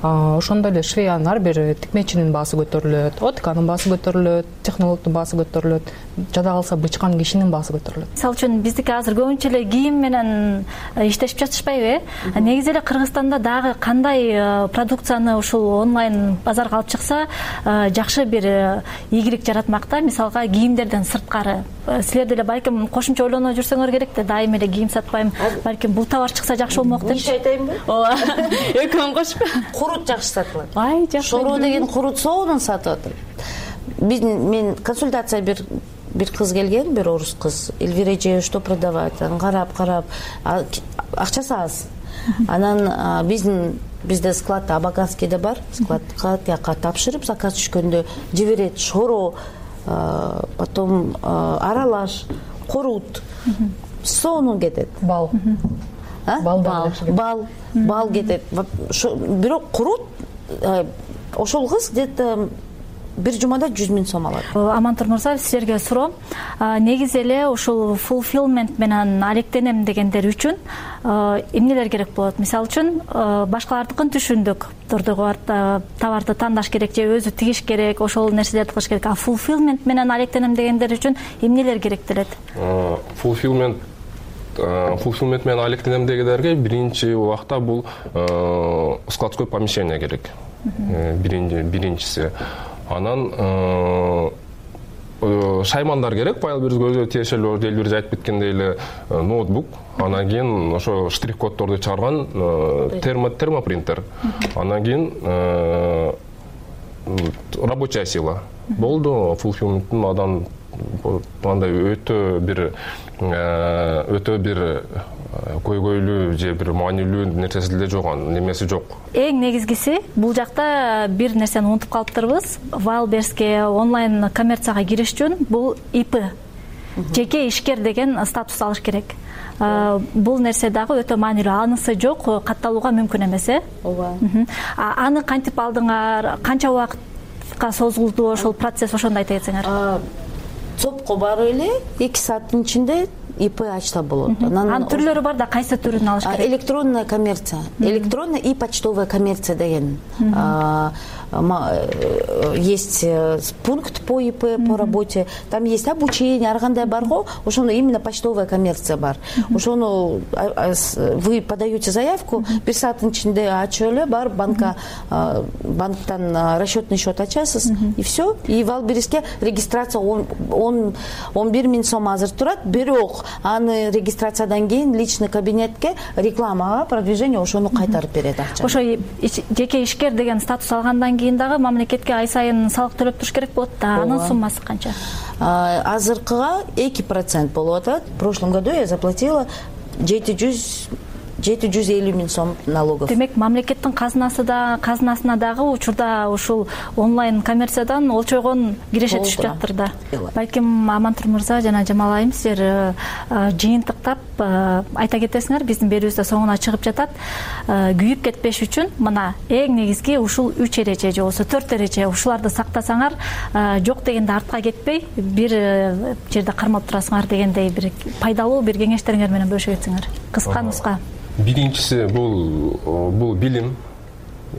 Ошондой эле швеянын ар бир тикмечинин баасы көтөрүлөт, отканын баасы көтөрүлөт, технологдун баасы көтөрүлөт, жада калса бычкан кишинин баасы көтөрүлөт. Мисалы үчүн биздики азыр көбүнчө эле кийим менен иштешип жатышпайбы? Негизи эле Кыргызстанда дагы кандай продукцияны ушул онлайн базарга алып чыкса жакшы бир ийгилик жаратмакта? Мисалга кийимдерден сырткары силер деле балким кошумча ойлоно жүрсөңөр керек да, дайыма эле кийим сатпайм, балким бул товар чыкса жакшы болмок деп. Иш айтайынбы? Ооба. Экөөң кошуп. Шорут жакшы сатылат. Ай, жакшы. Шоро деген курут соонун сатып атат. Мен консультация бир кыз келген, бир орус кыз. Эльвира эже что продавать? Карап, акчасы аз. Анан бизде склад Абаканскийде бар. Складка тияка тапшырып, заказ түшкөндө жиберет. Шоро, потом аралаш, курут, соонун кетет. Бал. Бал кетет. Бирок курут ошол кыз где-то бир жумада 100 000 сом алат. Амантур мырза, силерге суроо. Негизи эле ушул fulfillment менен алектенем дегендер үчүн эмнелер керек болот? Мисалы үчүн башкалардыкын түшүндүк. Товарды тандаш керек же өзү тигиш керек, ошол нерселерди кылыш керек. А fulfillment менен алектенем дегендер үчүн эмнелер керектелет? Fulfillment менен алектенем дегендерге биринчи убакта бул складской помещение керек. Биринчиси. Анан шаймандар керек, файл бир көзгө тиешелүү, элбир айтып кеткендей эле ноутбук, анан кийин ошо штрих-коддорду чыгарган термопринтер, анан кийин рабочая сила. Болду, fulfillmenттин адан андай өтө бир көйгөйлүү же бир маанилүү нерсеси деле жок, немеси жок. Эң негизгиси бул жакта бир нерсени унутуп калыптырбыз. Wildberries'ке онлайн коммерцияга кириш үчүн бул ИП, жеке ишкер деген статус алыш керек. Бул нерсе дагы өтө маанилүү. Анысы жок, катталууга мүмкүн эмес, Ооба. Аны кантип алдыңар? Канча убакытка созулду ошол процесс, ошондо айта кетсеңер. ЦОПко барып эле 2 сааттын ичинде ИП ачса болот. Анын түрлөрү бар да, кайсы түрүн алыш керек? Электронная коммерция. Электронная и почтовая коммерция деген. Есть пункт по ИП, по работе. Там есть обучение, ар кандай бар го, ошону именно почтовая коммерция бар. Ошону вы подаете заявку, 1 сааттын ичинде ачып эле бар банктан расчетный счет ачасыз, и все. И Wildberries'ке регистрация 11 000 сом азыр турат, бирок аны регистрациядан кийин личный кабинетке рекламага, продвижение ошону кайтарып берет акча. Ошо жеке ишкер деген статус алгандан кийин дагы мамлекетке ай сайын салык төлөп туруш керек болот да. Анын суммасы канча? Азыркыга 2% болуп атат. В прошлом году я заплатила 750 000 сом налогов. Демек, мамлекеттин казынасына дагы учурда ушул онлайн коммерциядан олчойгон киреше түшүп жаптыр да. Балким Амантур мырза жана Жамал айым силер жыйынтыктап айта кетесиңер, биздин берүүбүздө соңуна чыгып жатат. Күйүп кетпеш үчүн мына эң негизги ушул 3 эреже же болбосо 4 эреже, ушуларды сактасаңар, жок дегенде артка кетпей, бир жерде кармап турасыңар дегендей бир пайдалуу бир кеңештериңер менен бөлүшө кетсеңер. Кыска нуска. Биринчиси бул билим.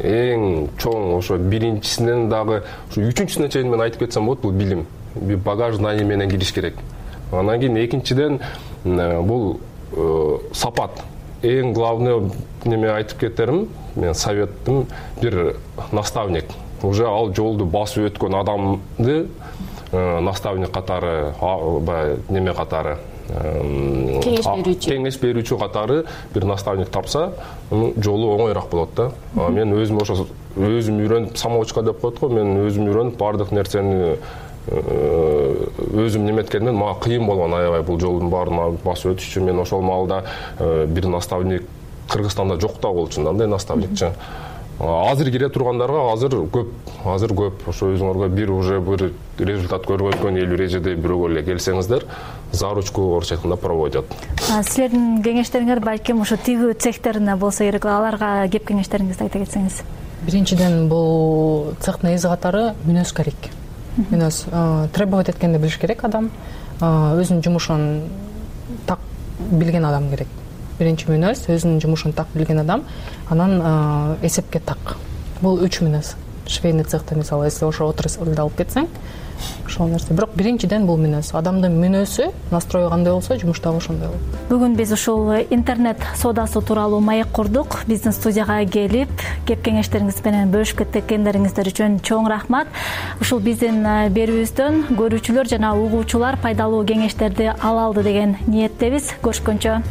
Эң чоң ошо биринчисинен дагы ушу 3-үчүсүнө чейин мен айтып кетсем болот, бул билим. Багаж знание менен кириш керек. Анан кийин экинчиден бул сапат. Эң главный неме айтып кетерим, мен советтим, бир наставник. Уже ал жолду басып өткөн адамды наставник катары, неме катары, кеңеш берүүчү катары бир наставник тапса, жолу оңойраак болот да. Мен өзүм ошо үйрөнүп, самоучка деп коет го, мен өзүм үйрөнүп баардык нерсени өзүм неметкенден мага кыйын болгон, аябай бул жолдун баарын басып өтүшчү. Мен ошол маалда бир наставник Кыргызстанда жок да болчу, андай наставникчи. Азыр кире тургандарга азыр көп. Ошо өзүңөргө бир результат көргөзгөн эл эрежеде бирөөгө эле келсеңиздер, заручку орусча айтканда проводят. Силердин кеңештериңер балким ошо тигүү цехтерине болсо керек, аларга кеп кеңештериңизди айта кетсеңиз. Биринчиден бул цехтин эзи катары мүнөз керек. Мүнөз требовать эткенди билиш керек адам, өзүнүн жумушун так билген адам керек. Биринчи мүнөз өзүнүн жумушун так билген адам, анан эсепке так. Бул 3 мүнөз. Швейный цехте мисалы, если ошо отраслды алып кетсең, ошол нерсе. Бирок биринчиден бул мүнөз. Адамдын мүнөзү, настрою кандай болсо, жумуш дагы ошондой болот. Бүгүн биз ушул интернет соодасы тууралуу маек курдук. Биздин студияга келип, кеп кеңештериңиз менен бөлүшүп кеткендериңиздер үчүн чоң рахмат. Ушул биздин берүүбүздөн көрүүчүлөр жана угуучулар пайдалуу кеңештерди ала алды деген ниеттебиз. Көрүшкөнчө.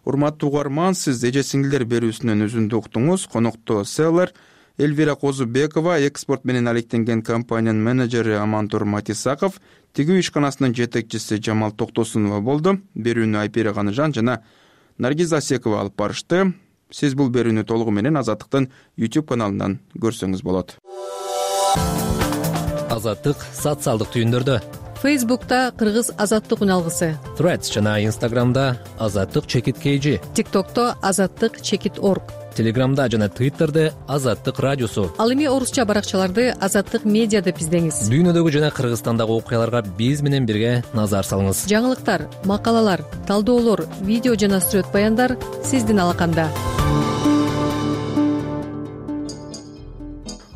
урматтуу угарман, сиз эже сиңдилер берүүсүнөн үзүндү уктуңуз. Конокто селлер Эльвира Козубекова, экспорт менен алектенген компаниянын менеджери Амантур Матисаков, тигүү ишканасынын жетекчиси Жамал Токтосунова болду. Берүүнү Айпира Каныжан жана Наргиз Асекова алып барышты. Сиз бул берүүнү толугу менен Азаттыктын YouTube каналынан көрсөңүз болот. Азаттык социалдык түйүндөрдө. Фейсбукта Кыргыз Азаттык үналгысы, Threads жана Instagramда Азаттык чекит KG, ТикТокто Азаттык чекит орг, Телеграмда жана Твиттерде Азаттык радиосу. Ал эми орусча баракчаларды Азаттык медиа деп издеңиз. Дүйнөдөгү жана Кыргызстандагы окуяларга биз менен бирге назар салыңыз. Жаңылыктар, макалалар, талдоолор, видео жана сүрөт баяндар сиздин алаканда.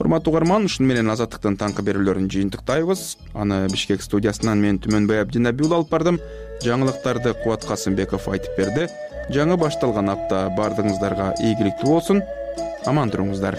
Урматтуу угарман, ушуну менен Азаттыктын таңкы берүүлөрүн жыйынтыктайбыз. Аны Бишкек студиясынан мен Түмөнбай Абдинабиул алып бардым. Жаңылыктарды Кубат Касымбеков айтып берди. Жаңы башталган апта бардыгыңыздарга ийгиликтүү болсун. Аман туруңуздар.